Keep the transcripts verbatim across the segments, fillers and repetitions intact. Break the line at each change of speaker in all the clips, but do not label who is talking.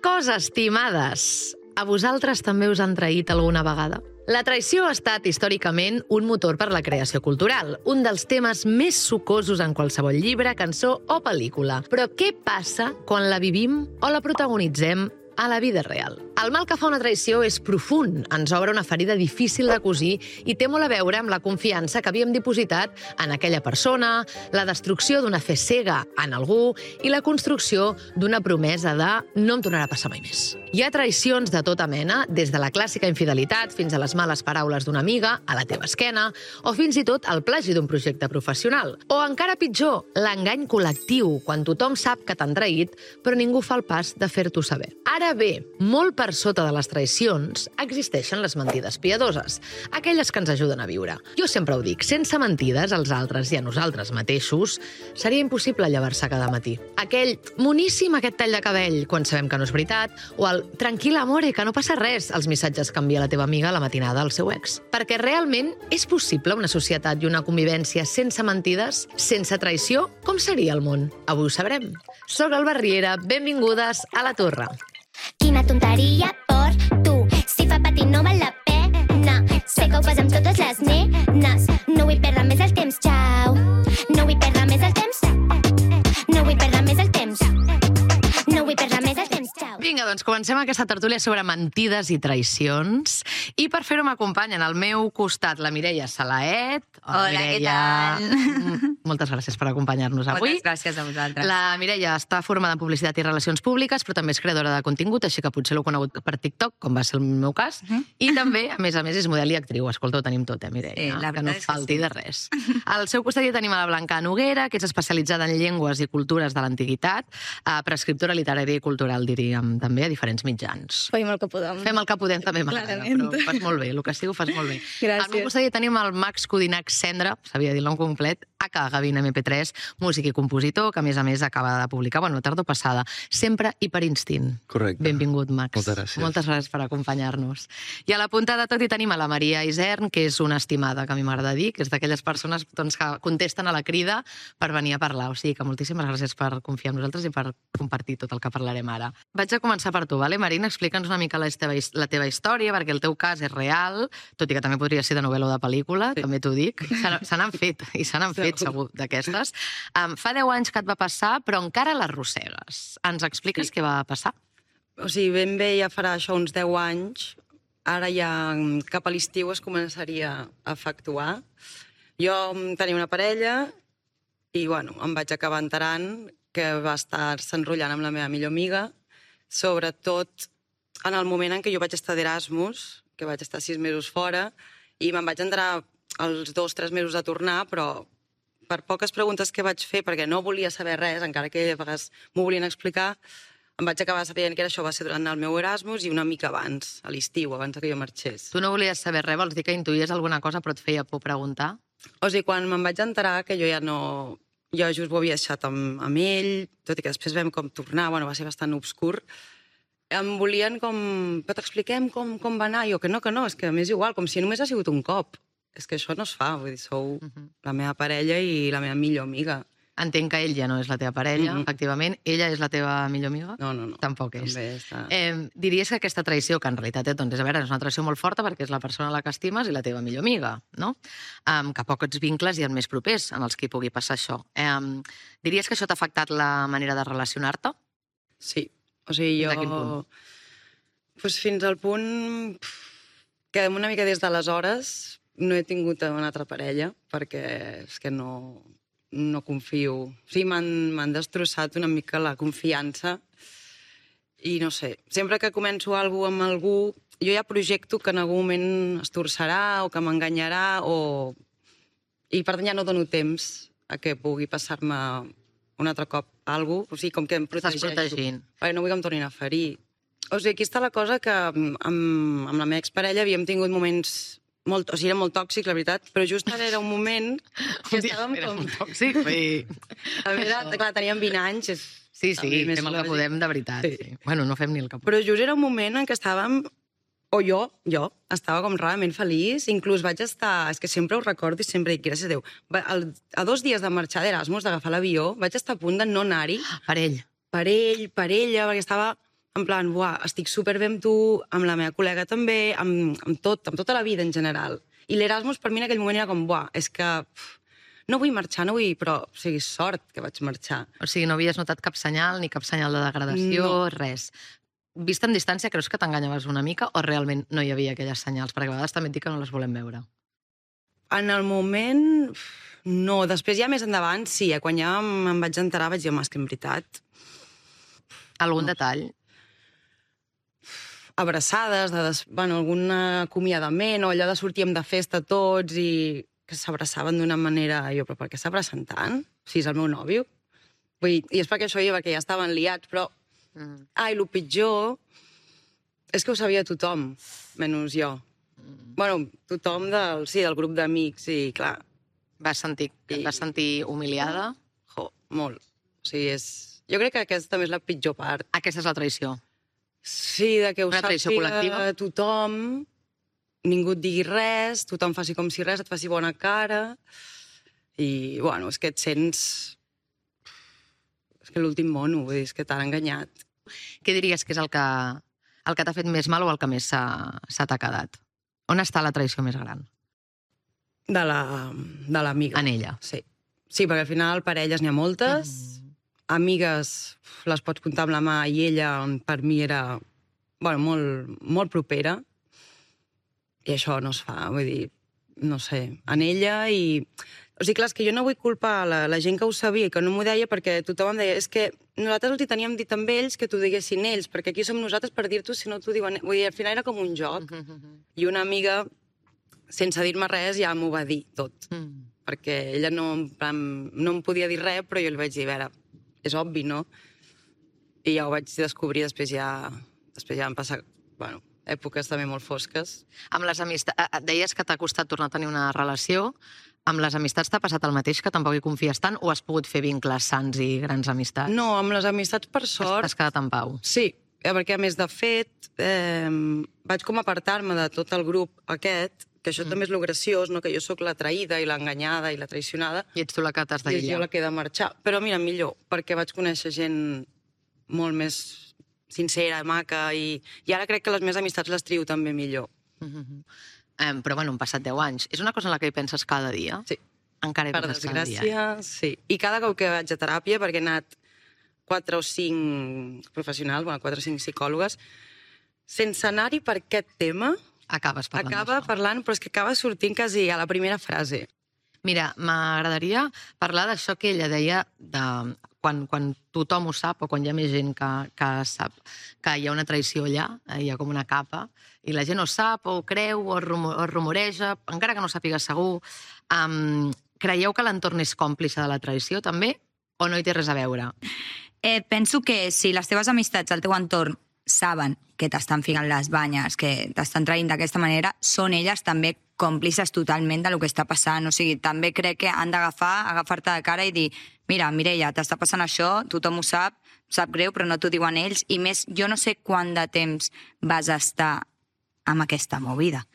cosa, estimades. A vosaltres també us han traït alguna vegada? La traïció ha estat històricament un motor per la creació cultural, un dels temes més sucosos en qualsevol llibre, cançó o pel·lícula. Però què passa quan la vivim o la protagonitzem a la vida real? El mal que fa una traïció és profund, ens obre una ferida difícil de cosir i té molt a veure amb la confiança que havíem dipositat en aquella persona, la destrucció d'una fe cega en algú i la construcció d'una promesa de no em tornarà a passar mai més. Hi ha traïcions de tota mena, des de la clàssica infidelitat fins a les males paraules d'una amiga a la teva esquena, o fins i tot el plagi d'un projecte professional. O encara pitjor, l'engany col·lectiu, quan tothom sap que t'han traït, però ningú fa el pas de fer-t'ho saber. Ara bé, molt per sota de les traïcions existeixen les mentides piadoses, aquelles que ens ajuden a viure. Jo sempre ho dic, sense mentides als altres i a nosaltres mateixos, seria impossible llevar-se cada matí. Aquell moníssim aquest tall de cabell, quan sabem que no és veritat, o el tranquil amore, que no passa res, els missatges que envia la teva amiga a la matinada al seu ex. Perquè realment és possible una societat i una convivència sense mentides, sense traïció? Com seria el món? Avui ho sabrem. Soc Alba Riera, benvingudes a La Torre.
Quina tonteria por tu, si fa patir no val la pena. Sé que ho fas amb totes les nenes. No vull perdre més el temps, xau. No vull perdre més el temps. No vull perdre més el temps. No vull perdre més el temps, xau.
Vinga, doncs comencem aquesta tertúlia sobre mentides i traïcions. I per fer-ho m'acompanyen al meu costat la Mireia Salaet.
Hola,
Mireia.
què tal?
Moltes gràcies per acompanyar-nos avui.
Moltes gràcies a vosaltres.
La Mireia està formada en Publicitat i Relacions Públiques, però també és creadora de contingut, així que potser l'heu conegut per TikTok, com va ser el meu cas. Uh -huh. I també, a més a més, és model i actriu. Escolta, ho tenim tot, eh, Mireia?
Sí, la
que no
veritat és que
falti
sí.
de res. Al seu costat ja tenim a la Blanca Noguera, que és especialitzada en llengües i cultures de l'antiguitat, prescriptora literària i cultural, diríem, també a diferents mitjans.
Fem el que podem.
Fem el que podem, també m'agrada,
Clarament.
però fas molt bé, el que sí ho fas molt bé.
Gràcies.
Al meu costat ja tenim el Max Codinac Cendra, sabia dir el nom complet, aka Gavin eme pe tres, músic i compositor, que a més a més acaba de publicar, bueno, la tardor passada, Sempre i per instint.
Correcte.
Benvingut, Max.
Moltes gràcies.
Moltes gràcies per acompanyar-nos. I a la punta de tot hi tenim a la Maria Isern, que és una estimada, que a mi m'agrada dir, que és d'aquelles persones doncs, que contesten a la crida per venir a parlar. O sigui que moltíssimes gràcies per confiar en nosaltres i per compartir tot el que parlarem ara. Vaig a començar per tu, vale, Marina? Explica'ns una mica la teva, la teva història, perquè el teu cas és real, tot i que també podria ser de novel·la o de pel·lícula, sí. També t'ho dic. Se n'han fet, i se n'han fet, segur, d'aquestes. Um, fa deu anys que et va passar, però encara l'arrossegues. Ens expliques sí. Què va passar?
O sigui, ben bé ja farà això uns deu anys. Ara ja cap a l'estiu es començaria a efectuar. Jo tenia una parella i, bueno, em vaig acabar enterant que va estar-se enrotllant amb la meva millor amiga, sobretot en el moment en què jo vaig estar d'Erasmus, que vaig estar sis mesos fora, i me'n vaig enterar els dos, tres mesos de tornar, però per poques preguntes que vaig fer, perquè no volia saber res, encara que a vegades m'ho volien explicar, em vaig acabar sabent que això va ser durant el meu Erasmus i una mica abans, a l'estiu, abans que jo marxés.
Tu no volies saber res, vols dir que intuïes alguna cosa però et feia por preguntar?
O sigui, quan me'n vaig enterar que jo ja no... Jo just ho havia deixat amb, amb ell, tot i que després vam com tornar, bueno, va ser bastant obscur, em volien com... Però t'expliquem com, com va anar? Jo, que no, que no, és que m'és igual, com si només ha sigut un cop. És que això no es fa, vull dir, sou uh-huh. la meva parella i la meva millor amiga.
Entenc que ell ja no és la teva parella, uh-huh. efectivament. Ella és la teva millor amiga?
No, no, no.
Tampoc és.
També està...
Eh, diries que aquesta traïció, que en realitat doncs, és, a veure, és una traïció molt forta perquè és la persona a la que estimes i la teva millor amiga, no? Um, que pocs vincles hi ha més propers en els que hi pugui passar això. Um, diries que això t'ha afectat la manera de relacionar-te?
Sí. O sigui, jo...
De quin punt?
Pues fins al punt que una mica des d'aleshores no he tingut una altra parella, perquè és que no, no confio. O sigui, m'han destrossat una mica la confiança i no sé, sempre que començo alguna cosa amb algú, jo ja projecto que en algun moment es torçarà o que m'enganyarà o... i per tant ja no dono temps a que pugui passar-me un altre cop alguna cosa, o sigui, com que em protegeixo.
Estàs protegint.
Perquè no vull que em tornin a ferir. O sigui, aquí està la cosa que amb, amb la meva exparella havíem tingut moments molt, o sigui, era molt tòxic, la veritat, però just ara era un moment que estàvem
era
com...
molt tòxic, i...
A més, clar, teníem vint anys. És...
Sí, sí, fem el que podem de veritat. Sí. Sí. Bueno, no fem ni el que podem.
Però just era un moment en què estàvem... O jo, jo, estava com realment feliç, inclús vaig estar... És que sempre ho recordo i sempre dic, gràcies a Déu. El, a dos dies de marxar d'Erasmus, d'agafar l'avió, vaig estar a punt de no anar-hi.
Per ell.
Per ell, per ella, perquè estava en plan, buah, estic superbé amb tu, amb la meva col·lega també, amb, amb tot, amb tota la vida en general. I l'Erasmus per mi en aquell moment era com, buah, és que pff, no vull marxar, no vull, però, o sigui, sort que vaig marxar.
O sigui, no havies notat cap senyal, ni cap senyal de degradació,
No.
res. Vist en distància, creus que t'enganyaves una mica o realment no hi havia aquelles senyals? Perquè a vegades també et dic que no les volem veure.
En el moment, no. Després ja més endavant, sí, eh? Quan ja me'n vaig enterar vaig dir, home, és que en veritat...
Algun
No.
detall?
Abraçades, de des... bueno, algun acomiadament, o allò de sortíem de festa tots i que s'abraçaven d'una manera... Jo, però per què s'abracen tant? O sigui, és el meu nòvio. Vull dir, i és perquè això jo, perquè ja estaven liats, però...
Mm.
Ah, i el pitjor és que ho sabia tothom, menys jo.
Mm.
Bueno, tothom del, sí, del grup d'amics, i clar,
Vas sentir, et vas sentir humiliada?
jo, molt. O sigui, és... Jo crec que aquesta també és la pitjor part.
Aquesta és la traïció.
Sí, de que ho
Una traïció
sàpiga
col·lectiva?
tothom, ningú et digui res, tothom faci com si res, et faci bona cara, i, bueno, és que et sents... És que l'últim mono, vull dir, és que t'han enganyat.
Què diries que és el que, el que t'ha fet més mal o el que més s'ha- se t'ha quedat? On està la traïció més gran?
De la- de l'amiga.
En ella.
Sí. Sí, perquè al final parelles n'hi ha moltes,
Mm.
amigues les pots comptar amb la mà, i ella per mi era, bueno, molt, molt propera, i això no es fa, vull dir, no sé, en ella i... O sigui, clar, és que jo no vull culpar la, la gent que ho sabia i que no m'ho deia, perquè tothom em deia, és que nosaltres els hi teníem dit amb ells que t'ho diguessin ells, perquè aquí som nosaltres per dir-t'ho si no t'ho diuen... Vull dir, al final era com un joc, i una amiga, sense dir-me res, ja m'ho va dir tot,
Mm.
perquè ella no, en plan, no em podia dir res, però jo li vaig dir, a veure, és obvi, no? I ja ho vaig descobrir, després ja, després ja van passar, bueno, èpoques també molt fosques.
Amb les amistats... Deies que t'ha costat tornar a tenir una relació. Amb les amistats t'ha passat el mateix, que tampoc hi confies tant, o has pogut fer vincles sants i grans amistats?
No, amb les amistats, per sort...
T'has quedat en pau?
Sí, eh, perquè a més, de fet, eh, vaig com apartar-me de tot el grup aquest, que això mm. també és lo graciós, no? Que jo sóc la traïda i l'enganyada i la traicionada,
I ets tu la que t'has
i és jo
d'aïllar.
la que he de marxar. Però mira, millor, perquè vaig conèixer gent molt més sincera, maca, i, i ara crec que les meves amistats les trio també millor.
Mhm. Em, però, bueno, han passat deu anys. És una cosa en la que hi penses cada dia?
Sí.
Encara hi
Per
penses cada dia? eh?
desgràcia, sí. I cada cop que vaig a teràpia, perquè he anat quatre o cinc professionals, bueno, quatre o cinc psicòlogues, sense anar-hi per aquest tema,
Acabes parlant
acaba
d'això.
parlant, però és que acaba sortint quasi a la primera frase.
Mira, m'agradaria parlar d'això que ella deia de quan, quan tothom ho sap o quan hi ha més gent que, que sap que hi ha una traïció allà, eh, hi ha com una capa, i la gent ho sap o ho creu o es rumo- o es rumoreja, encara que no ho sàpiga segur. Um, creieu que l'entorn és còmplice de la traïció, també? O no hi té res a veure?
Eh, penso que si les teves amistats al teu entorn saben que t'estan ficant les banyes, que t'estan traint d'aquesta manera, són elles també còmplices totalment del que està passant. O sigui, també crec que han d'agafar, agafar-te de cara i dir, mira, Mireia, t'està passant això, tothom ho sap, sap greu, però no t'ho diuen ells, i més, jo no sé quant de temps vas estar amb aquesta movida.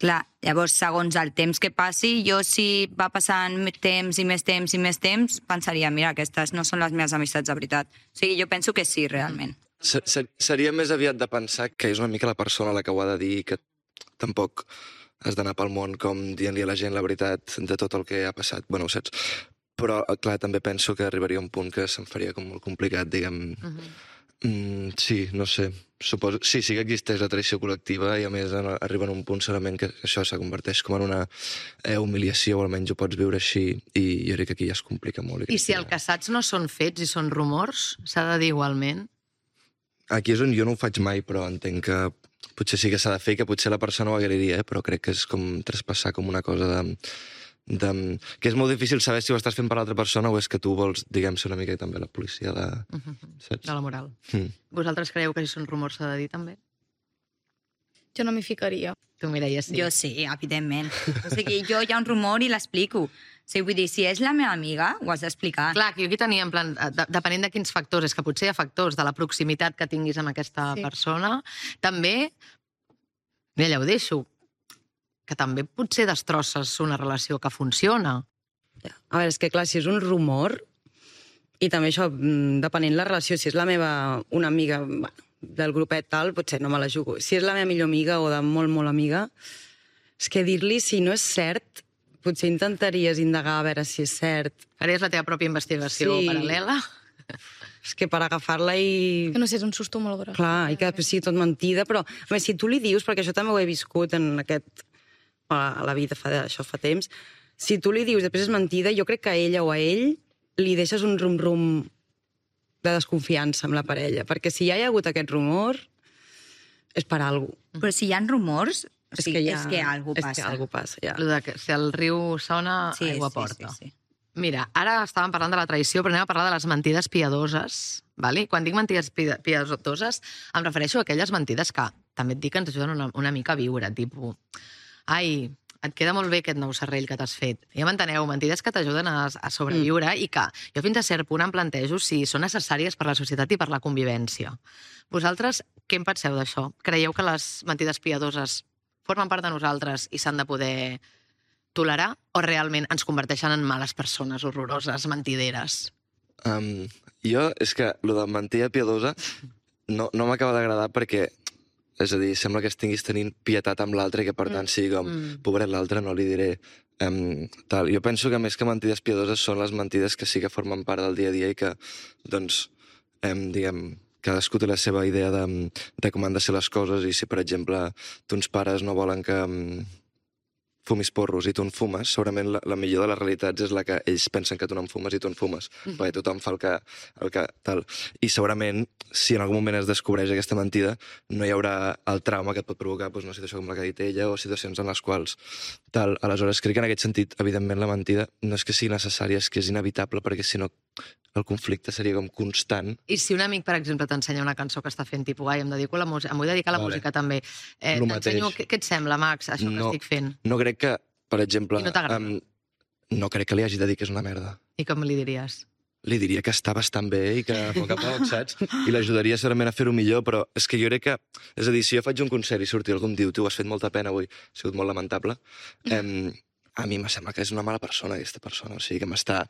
Clar, llavors, segons el temps que passi, jo si va passant més temps i més temps i més temps, pensaria, mira, aquestes no són les meves amistats de veritat. O sigui, jo penso que sí, realment.
Se- se- Seria més aviat de pensar que és una mica la persona la que ho ha de dir i que tampoc has d'anar pel món com dient-li a la gent la veritat de tot el que ha passat. Bueno, ho saps? Però, clar, també penso que arribaria un punt que se'm faria com molt complicat, diguem...
Uh -huh.
Mm, sí, no sé. Suposo... Sí, sí que existeix la traïció col·lectiva i, a més, en- arriba en un punt segurament que això se converteix com en una eh, humiliació, o almenys ho pots viure així, i jo crec que aquí ja es complica molt.
I si el que saps no són fets i són rumors, s'ha de dir igualment?
Aquí és on jo no ho faig mai, però entenc que potser sí que s'ha de fer, que potser la persona ho agrairia, eh? Però crec que és com traspassar com una cosa de, de... que és molt difícil saber si ho estàs fent per l'altra persona o és que tu vols, diguem, ser una mica també la policia de...
Uh -huh.
Saps?
De la moral.
Mm.
Vosaltres creieu que si són rumors s'ha de dir també?
Jo no m'hi ficaria.
Tu, Mireia, sí.
Jo sí, evidentment. O sigui, jo hi ha un rumor i l'explico. O sigui, vull dir, si és la meva amiga, ho has d'explicar.
Clar, que jo aquí tenia, en plan, de, depenent de quins factors, és que potser hi ha factors de la proximitat que tinguis amb aquesta
Sí.
persona. També, mira, ja ho deixo, que també potser destrosses una relació que funciona.
A veure, és que clar, si és un rumor, i també això, mm, depenent la relació, si és la meva, una amiga, bueno, del grupet tal, potser no me la jugo. Si és la meva millor amiga o de molt, molt amiga, és que dir-li si no és cert, potser intentaries indagar a veure si és cert.
Faries la teva pròpia investigació
Sí.
paral·lela?
És que per agafar-la i...
Que no sé, és un susto molt gros.
Clar, i que després sigui tot mentida, però a més, si tu li dius, perquè això també ho he viscut en aquest... a la vida, fa, això fa temps, si tu li dius després és mentida, jo crec que a ella o a ell li deixes un rum-rum de desconfiança amb la parella, perquè si ja hi ha hagut aquest rumor, és per alguna cosa.
Però si hi ha rumors, o
És
sigui,
que, ja,
és que algú
és
passa.
que algú passa, ja.
Lo de que si el riu sona,
Sí,
aigua
sí,
porta.
sí, sí.
Mira, ara estàvem parlant de la traïció, però anem a parlar de les mentides piadoses. Vale? Quan dic mentides pi- piadoses, em refereixo a aquelles mentides que també et dic que ens ajuden una, una mica a viure, tipus, ai, et queda molt bé aquest nou serrell que t'has fet. Ja m'enteneu, mentides que t'ajuden a, a sobreviure mm. i que jo fins a cert punt em plantejo si són necessàries per la societat i per la convivència. Vosaltres, què en penseu d'això? Creieu que les mentides piadoses formen part de nosaltres i s'han de poder tolerar o realment ens converteixen en males persones horroroses, mentideres?
Um, jo, és que lo de mentida piadosa no, no m'acaba d'agradar perquè, és a dir, sembla que estiguis tenint pietat amb l'altre i que per tant sigui com,
Mm.
pobret l'altre, no li diré um, tal. Jo penso que més que mentides piadoses són les mentides que sí que formen part del dia a dia i que, doncs, um, diguem, cadascú té la seva idea de, de com han de ser les coses i si, per exemple, tons pares no volen que um, fumis porros i tu en fumes, segurament la, la millor de les realitats és la que ells pensen que tu no en fumes i tu en fumes, mm-hmm. perquè tothom fa el que, el que tal. I segurament, si en algun moment es descobreix aquesta mentida, no hi haurà el trauma que et pot provocar doncs, una situació com la que ha dit ella o situacions en les quals tal. Aleshores, crec que en aquest sentit, evidentment, la mentida no és que sigui necessària, és que és inevitable, perquè si no el conflicte seria com constant.
I si un amic, per exemple, t'ensenya una cançó que està fent, tipus, ai, em dedico a la música, em vull dedicar a la
Vale.
música també. Eh,
Lo
T'ensenyo,
mateix.
què, què et sembla, Max, això
No.
que estic fent?
No crec que, per exemple...
I no t'agrada?
em, no crec que li hagi de dir que és una merda.
I com li diries?
Li diria que està bastant bé i que a poc a poc, saps? I l'ajudaria segurament a fer-ho millor, però és que jo crec que... És a dir, si jo faig un concert i surti algú em diu tu has fet molta pena avui, ha sigut molt lamentable, em, a mi me sembla que és una mala persona, aquesta persona. O sigui, que m'està...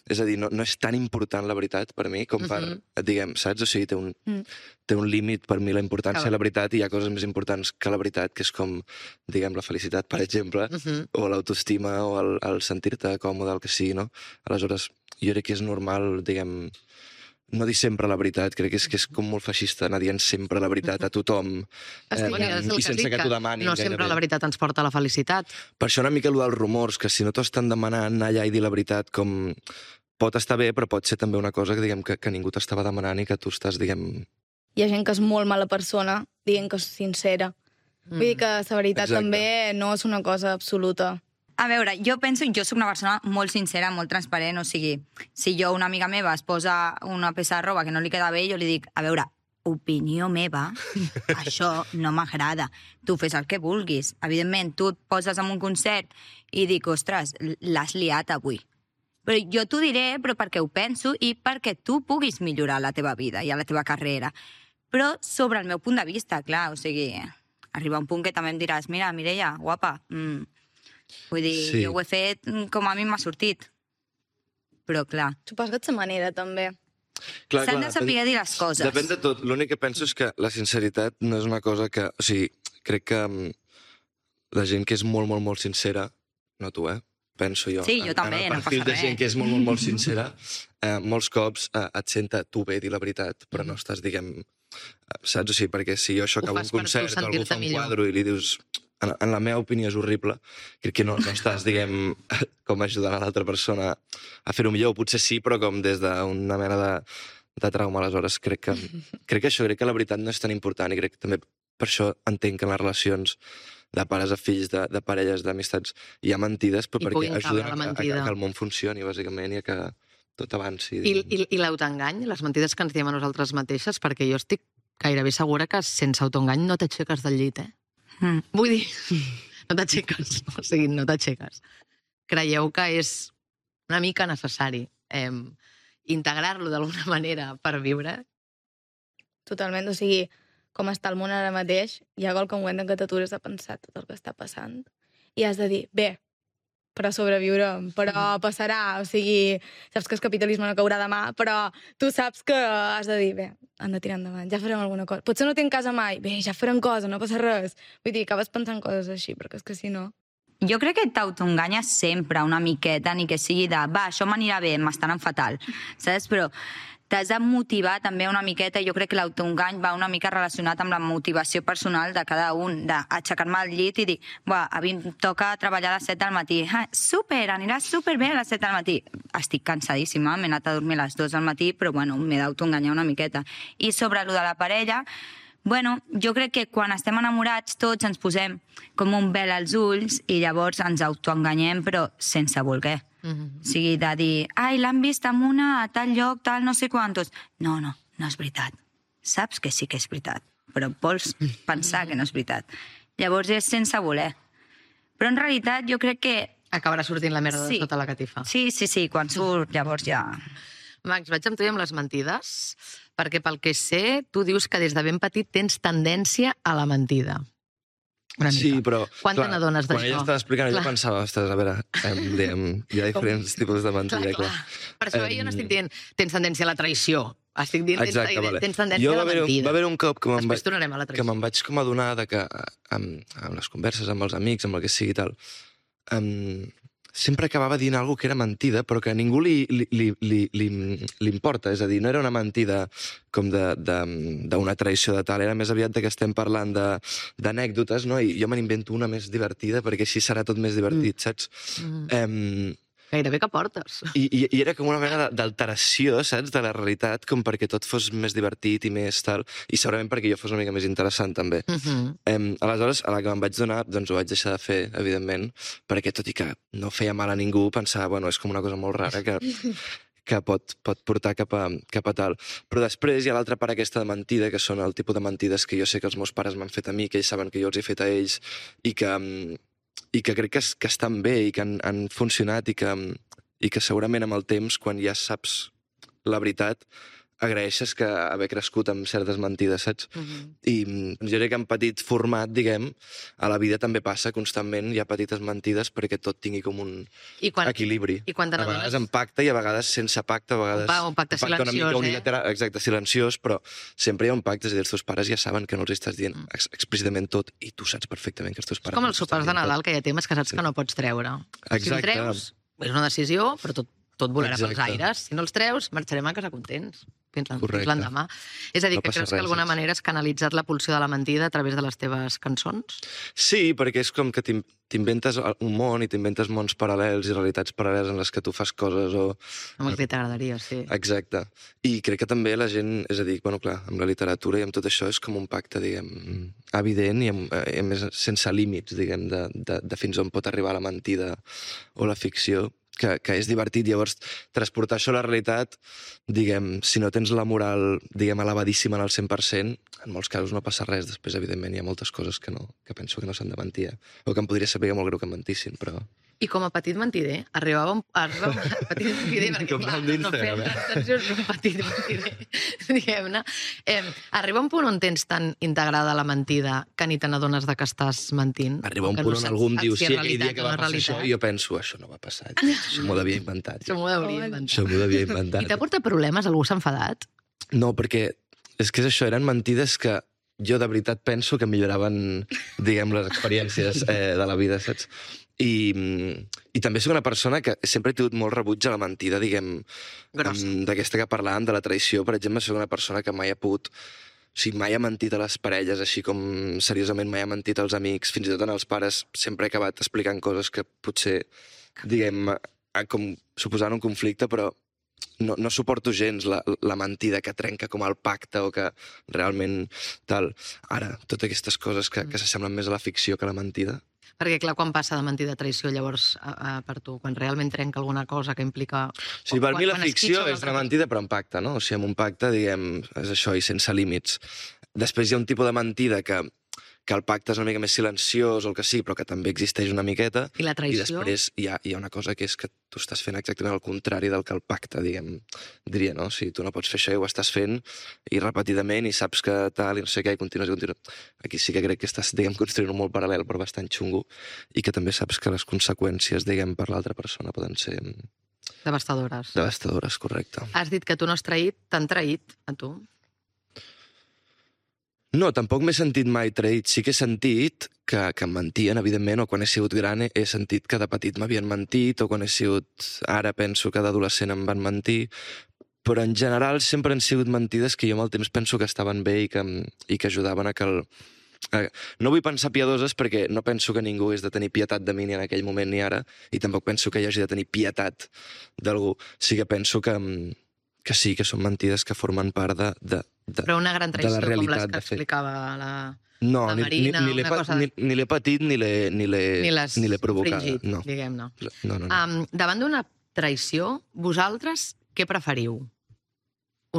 És a dir, no, no és tan important la veritat per mi com per,
Mhm.
diguem, saps? O sigui, té un,
Mm.
té un límit per mi la importància
Clar.
de la veritat i hi ha coses més importants que la veritat, que és com, diguem, la felicitat, per exemple,
Mhm.
o l'autoestima o el, el sentir-te còmode, el que sigui, no? Aleshores, jo crec que és normal, diguem, no dir sempre la veritat, crec que és, que és com molt feixista anar dient sempre la veritat a tothom
És que
eh,
ja-
és el
i sense
dic,
que t'ho demanin.
no sempre
gairebé.
la veritat ens porta a la felicitat.
Per això una mica allò dels rumors, que si no t'ho estan demanant anar allà i dir la veritat, com pot estar bé, però pot ser també una cosa que, diguem, que, que ningú t'estava demanant i que tu estàs, diguem...
Hi ha gent que és molt mala persona, dient que és sincera. Vull dir que la veritat
Exacte.
també no és una cosa absoluta.
A veure, jo penso, jo sóc una persona molt sincera, molt transparent, o sigui, si jo, una amiga meva, es posa una peça de roba que no li queda bé, jo li dic, a veure, opinió meva, això no m'agrada. Tu fes el que vulguis. Evidentment, tu et poses en un concert i dic, ostres, l'has liat avui. Però jo t'ho diré, però perquè ho penso i perquè tu puguis millorar la teva vida i la teva carrera. Però sobre el meu punt de vista, clar, o sigui, arriba un punt que també em diràs, mira, Mireia, guapa, mm, vull dir,
Sí.
jo ho he fet com a mi m'ha sortit. Però, clar,
Suposo que ets la manera, també.
Clar,
s'han
clar,
de saber dir les coses.
Depèn de tot. L'únic que penso és que la sinceritat no és una cosa que... O sigui, crec que um, la gent que és molt, molt, molt sincera, no tu, eh? Penso jo.
Sí, jo
en-
també,
en el
no
perfil
passa
de gent
res.
que és molt, molt, molt sincera, eh, molts cops eh, et senta tu bé dir la veritat, però no estàs, diguem... eh, Saps? O sigui, perquè si jo això
Ho
acabo un
fas per tu
concert o algú
sentir-te
fa un
millor.
quadre i li dius en, en la meva opinió és horrible, crec que no, no estàs, diguem, com ajudant a l'altra persona a fer-ho millor. Potser sí, però com des d'una mena de, de trauma. Aleshores, crec que, crec que això, crec que la veritat no és tan important i crec que també per això entenc que en les relacions de pares a fills, de, de parelles, d'amistats, hi ha mentides, però
I
perquè
puguin cabre
ajuden
la
a, a, a,
mentida.
que el món funcioni, bàsicament, i a que tot avanci.
I, i, i l'autoengany, les mentides que ens diem a nosaltres mateixes, perquè jo estic gairebé segura que sense autoengany no t'aixeques del llit, eh?
Mm.
Vull dir, no t'aixeques, o sigui, no t'aixeques. Creieu que és una mica necessari eh, integrar-lo d'alguna manera per viure?
Totalment, o sigui, com està el món ara mateix, hi ha qualque moment en què t'atures a pensar tot el que està passant i has de dir, bé, però sobreviurem, però passarà, o sigui, saps que el capitalisme no caurà demà, però tu saps que has de dir, bé, han de tirar endavant, ja farem alguna cosa. Potser no tinc casa mai, bé, ja farem cosa, no passa res. Vull dir, acabes pensant coses així, perquè és que si no...
Jo crec que t'autoenganyes sempre una miqueta, ni que sigui de, va, això m'anirà bé, m'estaran fatal, saps? Però t'has de motivar també una miqueta, i jo crec que l'autoengany va una mica relacionat amb la motivació personal de cada un, d'aixecar-me al llit i dir, buah, a mi em toca treballar a les set del matí, ah, super, anirà superbé a les set del matí. Estic cansadíssima, m'he anat a dormir a les dues del matí, però bueno, m'he d'autoenganyar una miqueta. I sobre allò de la parella, bueno, jo crec que quan estem enamorats tots ens posem com un vel als ulls i llavors ens autoenganyem, però sense voler. Mm-hmm. O sigui, de dir, ai, l'han vist amb una a tal lloc, tal no sé quantos. No, no, no és veritat. Saps que sí que és veritat, però vols pensar que no és veritat. Llavors és sense voler. Però en realitat jo crec que...
Acabarà sortint la merda
Sí.
de sota la catifa.
Sí, sí, sí, quan surt llavors ja...
Max, vaig amb tu i amb les mentides, perquè pel que sé, tu dius que des de ben petit tens tendència a la mentida. Una mica.
Sí, però...
Quan te n'adones
Quan
d'això?
ella estava explicant,
Clar.
jo pensava, ostres, a veure, em, diem, hi ha diferents tipus de mentida, clar.
Per això jo no estic dient tens tendència a la traïció. Estic dient tens,
Exacte, vale.
tens tendència
Jo
a
va
la
haver,
mentida.
va haver un cop que me'n
Després
vaig,
tornarem a la
que
traïció.
me'n vaig com adonar de que amb, amb les converses amb els amics, amb el que sigui i tal, um, sempre acabava dient alguna que era mentida, però que a ningú li, li, li, li, li, li importa. És a dir, no era una mentida com d'una traïció de tal, era més aviat de que estem parlant d'anècdotes, no? I jo me n'invento una més divertida perquè així serà tot més divertit, mm. saps? Mm. Um,
Gairebé que portes.
I, i, I era com una mena d'alteració, saps, de la realitat, com perquè tot fos més divertit i més tal, i segurament perquè jo fos una mica més interessant, també.
Uh -huh.
um, aleshores, a la que me'n vaig donar, doncs ho vaig deixar de fer, evidentment, perquè tot i que no feia mal a ningú, pensava, bueno, és com una cosa molt rara que, que pot, pot portar cap a, cap a tal. Però després hi ha l'altra part aquesta de mentida, que són el tipus de mentides que jo sé que els meus pares m'han fet a mi, que ells saben que jo els he fet a ells, i que... Um, i que crec que, que estan bé i que han, han funcionat i que, i que segurament amb el temps, quan ja saps la veritat, agraeixes que haver crescut amb certes mentides, saps? Uh-huh. I jo crec que en petit format, diguem, a la vida també passa constantment, hi ha petites mentides perquè tot tingui com un
I quan,
equilibri.
I quan te
a vegades
n'adones...
amb pacte i a vegades sense pacte, a vegades...
Un, pa, un pacte
un pacte
silenciós,
una mica
eh?
unilateral, exacte, silenciós, però sempre hi ha un pacte, és a dir, els teus pares ja saben que no els estàs dient ex explícitament tot i tu saps perfectament que els teus pares...
Com
no
els sopars de Nadal, que hi ha temes que saps
Sí.
que no pots treure.
Exacte.
Si els treus, és una decisió, però tot, tot volarà pels
Exacte.
aires. Si no els treus, marxarem a casa contents. Fins l'en-
Correcte.
fins l'endemà. És a dir,
No
que
passa
creus que
res,
d'alguna
saps?
manera has canalitzat la pulsió de la mentida a través de les teves cançons?
Sí, perquè és com que t'in- t'inventes un món i t'inventes mons paral·lels i realitats paral·leles en les que tu fas coses o...
Home, que t'agradaria, sí.
Exacte. I crec que també la gent, és a dir, bueno, clar, amb la literatura i amb tot això és com un pacte, diguem, evident i, amb, i a més sense límits, diguem, de, de, de fins on pot arribar la mentida o la ficció, que, que és divertit. Llavors, transportar això a la realitat, diguem, si no tens la moral, diguem, elevadíssima en el cent per cent, en molts casos no passa res. Després, evidentment, hi ha moltes coses que, no, que penso que no s'han de mentir, eh? O que em podria saber molt greu que em mentissin, però...
I com a petit mentider, arribava un, arribava un petit mentider, perquè
Com
clar,
el
no
d'Instagram,
fem
eh?
extensions, un petit mentider, diguem-ne. Eh, arriba un punt on tens tan integrada la mentida que ni te n'adones de que estàs mentint?
Arriba un
que
punt
no
on
saps
algú em
si
diu,
és
sí, aquell
realitat
dia que
o no
va
és
passar això,
realitat.
i jo penso, això no va passar, això m'ho devia inventar.
Això m'ho hauria inventat.
Això m'ho devia
I
inventar.
t'ha portat problemes? Algú s'ha enfadat?
No, perquè és que és això, eren mentides que jo de veritat penso que milloraven, diguem, les experiències eh, de la vida, saps? I, I també soc una persona que sempre he tingut molt rebuig a la mentida, diguem,
Grossa.
em, d'aquesta que parlàvem, de la traïció, per exemple, soc una persona que mai ha pogut... O sigui, mai ha mentit a les parelles, així com seriosament mai ha mentit als amics, fins i tot en els pares sempre he acabat explicant coses que potser, diguem, com suposant un conflicte, però no, no suporto gens la, la mentida que trenca com el pacte o que realment tal. Ara, totes aquestes coses que, que s'assemblen més a la ficció que a la mentida.
Perquè, clar, quan passa de mentida a traïció, llavors, a, a, per tu, quan realment trenca alguna cosa que implica...
O sigui, per
quan-
mi la
quan
ficció
esquitxa
és
una
una
altra
mentida però en pacte, no? O sigui, amb un pacte, diguem, és això, i sense límits. Després hi ha un tipus de mentida que, que el pacte és una mica més silenciós o el que sí, però que també existeix una miqueta.
I la traïció?
I després hi ha, hi ha una cosa que és que tu estàs fent exactament el contrari del que el pacte, diguem, diria, no? O sigui, tu no pots fer això i ho estàs fent i repetidament i saps que tal i no sé què i continues i continues. Aquí sí que crec que estàs, diguem, construint un molt paral·lel però bastant xungo i que també saps que les conseqüències, diguem, per l'altra persona poden ser...
Devastadores.
Devastadores, correcte.
Has dit que tu no has traït, t'han traït a tu?
No, tampoc m'he sentit mai traït. Sí que he sentit que, que em mentien, evidentment, o quan he sigut gran he sentit que de petit m'havien mentit, o quan he sigut... Ara penso que d'adolescent em van mentir, però en general sempre han sigut mentides que jo amb el temps penso que estaven bé i que, i que ajudaven a que el... A... No vull pensar piadoses perquè no penso que ningú hagués de tenir pietat de mi ni en aquell moment ni ara, i tampoc penso que hi hagi de tenir pietat d'algú. Sí que penso que, que sí, que són mentides que formen part de... de De,
però una gran traïció com les que explicava la,
no,
la Marina,
ni, ni,
una cosa...
Ni, ni l'he patit ni l'he ni l'he provocat.
Fringit,
no.
diguem-ne.
No, no, no.
Um, davant d'una traïció, vosaltres què preferiu?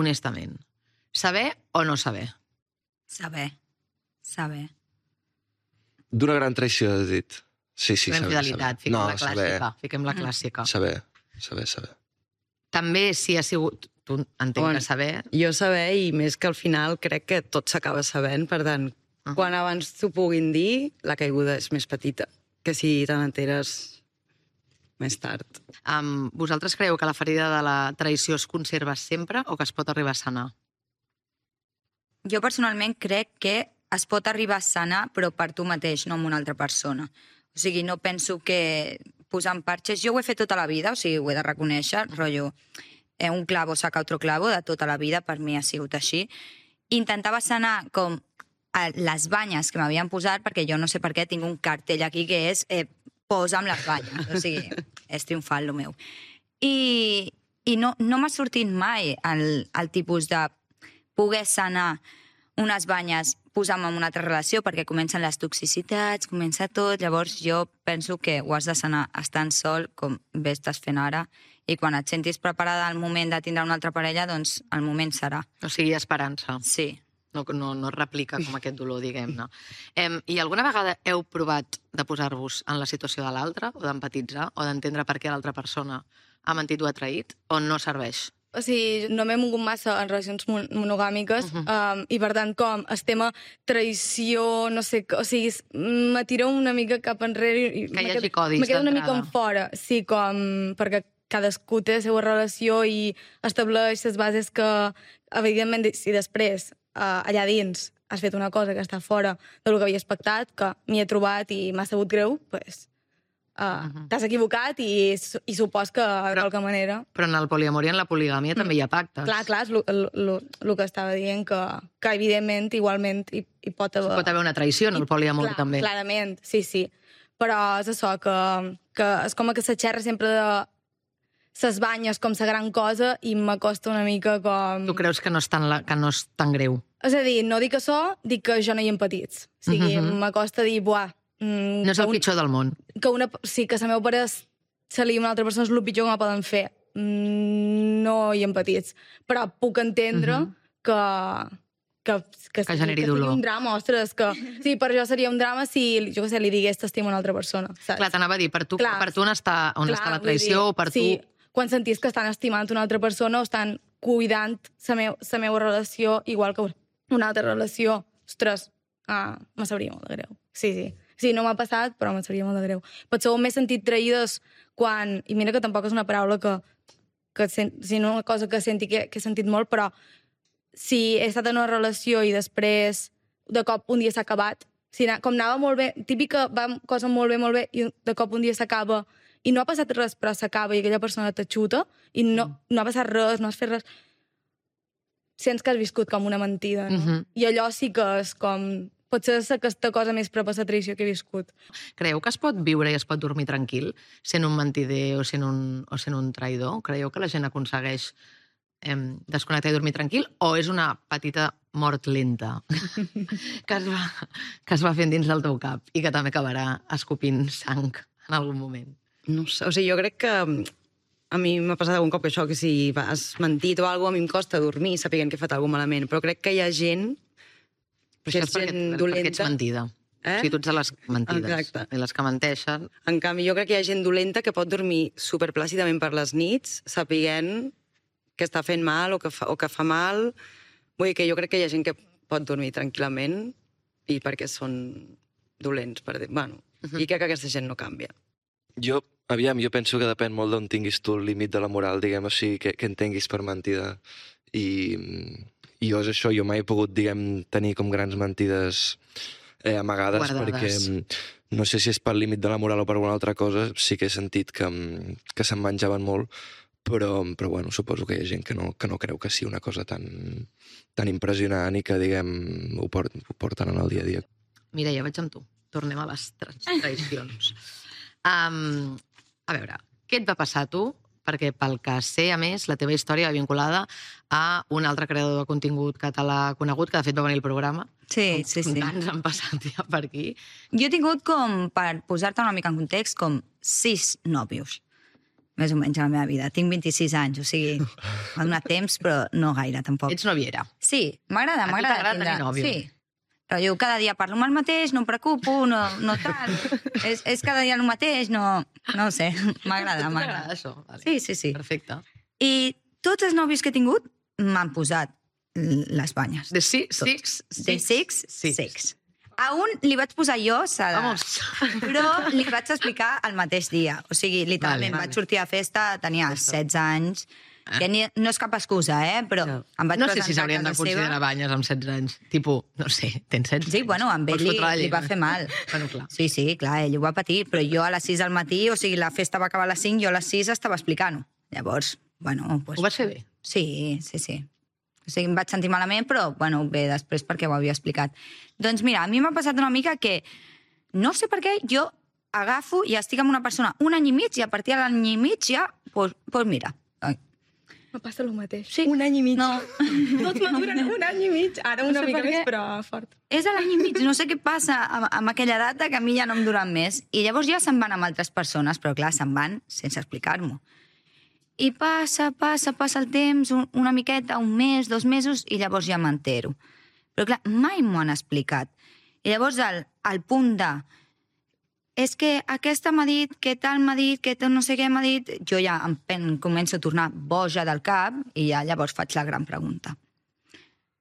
Honestament. Saber o no saber?
Saber. Saber.
D'una gran traïció, has dit. Sí, sí,
la
saber.
Infidelitat, fiquem
no,
la clàssica.
Saber.
Fiquem la clàssica.
Saber, saber, saber.
També si ha sigut... Tu entenc
Bon,
que saber...
Jo saber, i més que al final crec que tot s'acaba sabent, per tant, uh -huh. quan abans t'ho puguin dir, la caiguda és més petita que si te n'enteres més tard.
Um, vosaltres creieu que la ferida de la traïció es conserva sempre o que es pot arribar a sanar?
Jo personalment crec que es pot arribar a sanar, però per tu mateix, no amb una altra persona. O sigui, no penso que posant parxes... Jo ho he fet tota la vida, o sigui, ho he de reconèixer, rotllo... un clavo saca otro clavo de tota la vida, per mi ha sigut així. Intentava sanar com les banyes que m'havien posat, perquè jo no sé per què tinc un cartell aquí que és eh, posa'm les banyes, o sigui, és triomfant el meu. I, i no, no m'ha sortit mai el, el tipus de poder sanar unes banyes posar-me en una altra relació, perquè comencen les toxicitats, comença tot, llavors jo penso que ho has de sanar estant sol, com bé estàs fent ara, i quan et sentis preparada al moment de tindre una altra parella, doncs el moment serà.
O sigui, esperança.
Sí.
No, no, no replica com aquest dolor, diguem-ne. Em, I alguna vegada heu provat de posar-vos en la situació de l'altre, o d'empatitzar, o d'entendre per què l'altra persona ha mentit o ha traït, o no serveix?
O sigui, no m'he mogut massa en relacions monogàmiques, uh -huh. um, i per tant, com el tema traïció, no sé, o sigui, m'atiro una mica cap enrere i
que hi hagi codis
me quedo una mica
d'entrada.
en fora, sí, com perquè cadascú té la seva relació i estableix les bases que, evidentment, si després uh, allà dins has fet una cosa que està fora del que havia expectat, que m'hi he trobat i m'ha sabut greu, doncs uh, uh -huh. t'has equivocat i, i supos que de qualque manera...
Però en el poliamor i en la poligàmia mm. també hi ha pactes.
Clar, clar, és el que estava dient, que, que evidentment, igualment, hi, hi pot haver...
Pot haver una traïció en el poliamor,
clar,
també.
Clarament, sí, sí. Però és això, que, que és com que se xerra sempre de ses banyes com la gran cosa i m'acosta una mica com...
Tu creus que no és tan, la, que no és tan greu?
És a dir, no dic això, dic que jo no hi empatits. O sigui, uh -huh. m'acosta dir, buah...
Mm, no és el un, pitjor del món.
Que una, sí, que la meva pare se li una altra persona és el pitjor que me poden fer. Mm, no hi empatits. Però puc entendre uh -huh. que... Que, que,
que generi
que
dolor.
un drama, ostres, que sí, per jo seria un drama si, jo què sé, li digués t'estimo a una altra persona, saps?
Clar, t'anava a dir, per tu, clar, per tu on està, on
clar,
està la traïció, dir, o per
sí,
tu...
quan sentis que estan estimant una altra persona o estan cuidant la meu, meva relació igual que una altra relació, ostres, ah, me sabria molt de greu. Sí, sí. Sí, no m'ha passat, però me sabria molt de greu. Potser m'he sentit traïdes quan... I mira que tampoc és una paraula que... que si no una cosa que senti que, que he sentit molt, però si he estat en una relació i després de cop un dia s'ha acabat, si, com anava molt bé, típica, va cosa molt bé, molt bé, i de cop un dia s'acaba i no ha passat res, però s'acaba i aquella persona t'ajuda i no, no ha passat res, no has fet res, sents que has viscut com una mentida, no? Uh-huh. I allò sí que és com... Potser és aquesta cosa més prop a la traïció que he viscut.
Creieu que es pot viure i es pot dormir tranquil sent un mentider o sent un, o sent un traïdor? Creieu que la gent aconsegueix eh, desconnectar i dormir tranquil? O és una petita mort lenta que es va, que es va fent dins del teu cap i que també acabarà escopint sang en algun moment?
No sé, o sigui, jo crec que a mi m'ha passat algun cop que això, que si has mentit o alguna cosa, a mi em costa dormir sapiguent que he fet alguna cosa malament, però crec que hi ha gent
Però això és perquè, perquè ets mentida.
Eh?
O sigui, tu ets de les mentides.
Exacte.
I les que menteixen.
En canvi, jo crec que hi ha gent dolenta que pot dormir superplàcidament per les nits, sapiguent que està fent mal o que fa, o que fa mal. Vull dir que jo crec que hi ha gent que pot dormir tranquil·lament i perquè són dolents. Per dir. Bueno, uh-huh. I crec que aquesta gent no canvia.
Jo, aviam, jo penso que depèn molt d'on tinguis tu el límit de la moral, diguem, o sigui, que, que entenguis per mentida. I, i jo és això, jo mai he pogut, diguem, tenir com grans mentides eh, amagades,
guardades.
Perquè no sé si és pel límit de la moral o per alguna altra cosa, sí que he sentit que, que se'n menjaven molt, però, però bueno, suposo que hi ha gent que no, que no creu que sigui una cosa tan, tan impressionant i que, diguem, ho, port, ho porten en el dia a dia.
Mireia, vaig amb tu. Tornem a les tra tradicions. Um, a veure, què et va passar a tu? Perquè pel que sé, a més, la teva història va vinculada a un altre creador de contingut català conegut, que de fet va venir al programa.
Sí, sí, sí.
Tants han passat ja per aquí.
Jo he tingut com, per posar-te una mica en context, com sis nòvios, més o menys a la meva vida. Tinc vint-i-sis anys, o sigui, m'ha donat temps, però no gaire, tampoc.
Ets noviera.
Sí, m'agrada,
A tu
m'agrada
t'agrada
tindre...
tenir nòvio?
Sí. Però jo cada dia parlo amb el mateix, no em preocupo, no, no tal. és, és cada dia el mateix, no, no ho sé, m'agrada,
T'agrada
m'agrada.
això? Vale.
Sí, sí, sí.
Perfecte.
I tots els nòvios que he tingut m'han posat les banyes.
De si,
Tots.
six,
De six,
six.
six. A un li vaig posar jo, s'ha de...
Vamos.
Però li vaig explicar el mateix dia. O sigui, literalment,
Vale,
vaig
vale.
sortir a festa, tenia setze anys, que ni, no és cap excusa, eh? Però
No.
em vaig
No sé si
presentar
s'haurien
a
de
casa
considerar
seva.
banyes amb setze anys. Tipo, no sé, tens setze
Sí, bueno, amb ell
Pots
li,
fotre la
li va
llengua.
fer mal.
Bueno, clar.
Sí, sí, clar, ell ho va patir, però jo a les sis del matí, o sigui, la festa va acabar a les cinc, jo a les sis estava explicant-ho. Llavors, bueno... Pues,
Ho vas fer bé?
Sí, sí, sí. O sigui, em vaig sentir malament, però, bueno, bé, després perquè ho havia explicat. Doncs mira, a mi m'ha passat una mica que, no sé per què, jo agafo i estic amb una persona un any i mig i a partir de l'any i mig ja, doncs, pues mira,
Me passa el mateix.
Sí.
Un any i mig.
no,
Tots maduren un any i mig. Ara una
No sé
mica
per
més,
què.
però fort.
és a l'any i mig, no sé què passa amb, amb aquella data que a mi ja no em duren més. I llavors ja se'n van amb altres persones, però clar, se'n van sense explicar-m'ho. I passa, passa, passa el temps, un, una miqueta, un mes, dos mesos, i llavors ja m'entero. Però clar, mai m'ho han explicat. I llavors el, el punt de... És que aquesta m'ha dit, que tal m'ha dit, que tal no sé què m'ha dit... Jo ja em pen, començo a tornar boja del cap i ja llavors faig la gran pregunta.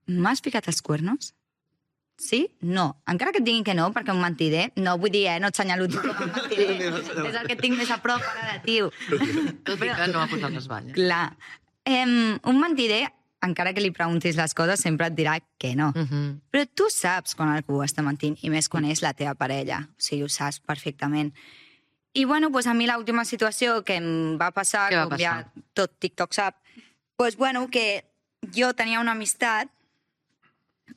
M'has ficat els cuernos? Sí? No. Encara que et diguin que no, perquè un mentider, no vull dir, eh, no et senyalo tu com un mentider. És el que et tinc més a prop ara de tio.
Tot i que no ha posat les banyes.
Clar. Em, un mentider, encara que li preguntis les coses, sempre et dirà que no.
Uh -huh.
Però tu saps quan algú està mentint, i més quan és la teva parella. O sigui, ho saps perfectament. I, bueno, doncs a mi l'última situació que em va passar,
Què va
com
passar?
ja tot TikTok sap, doncs, bueno, que jo tenia una amistat,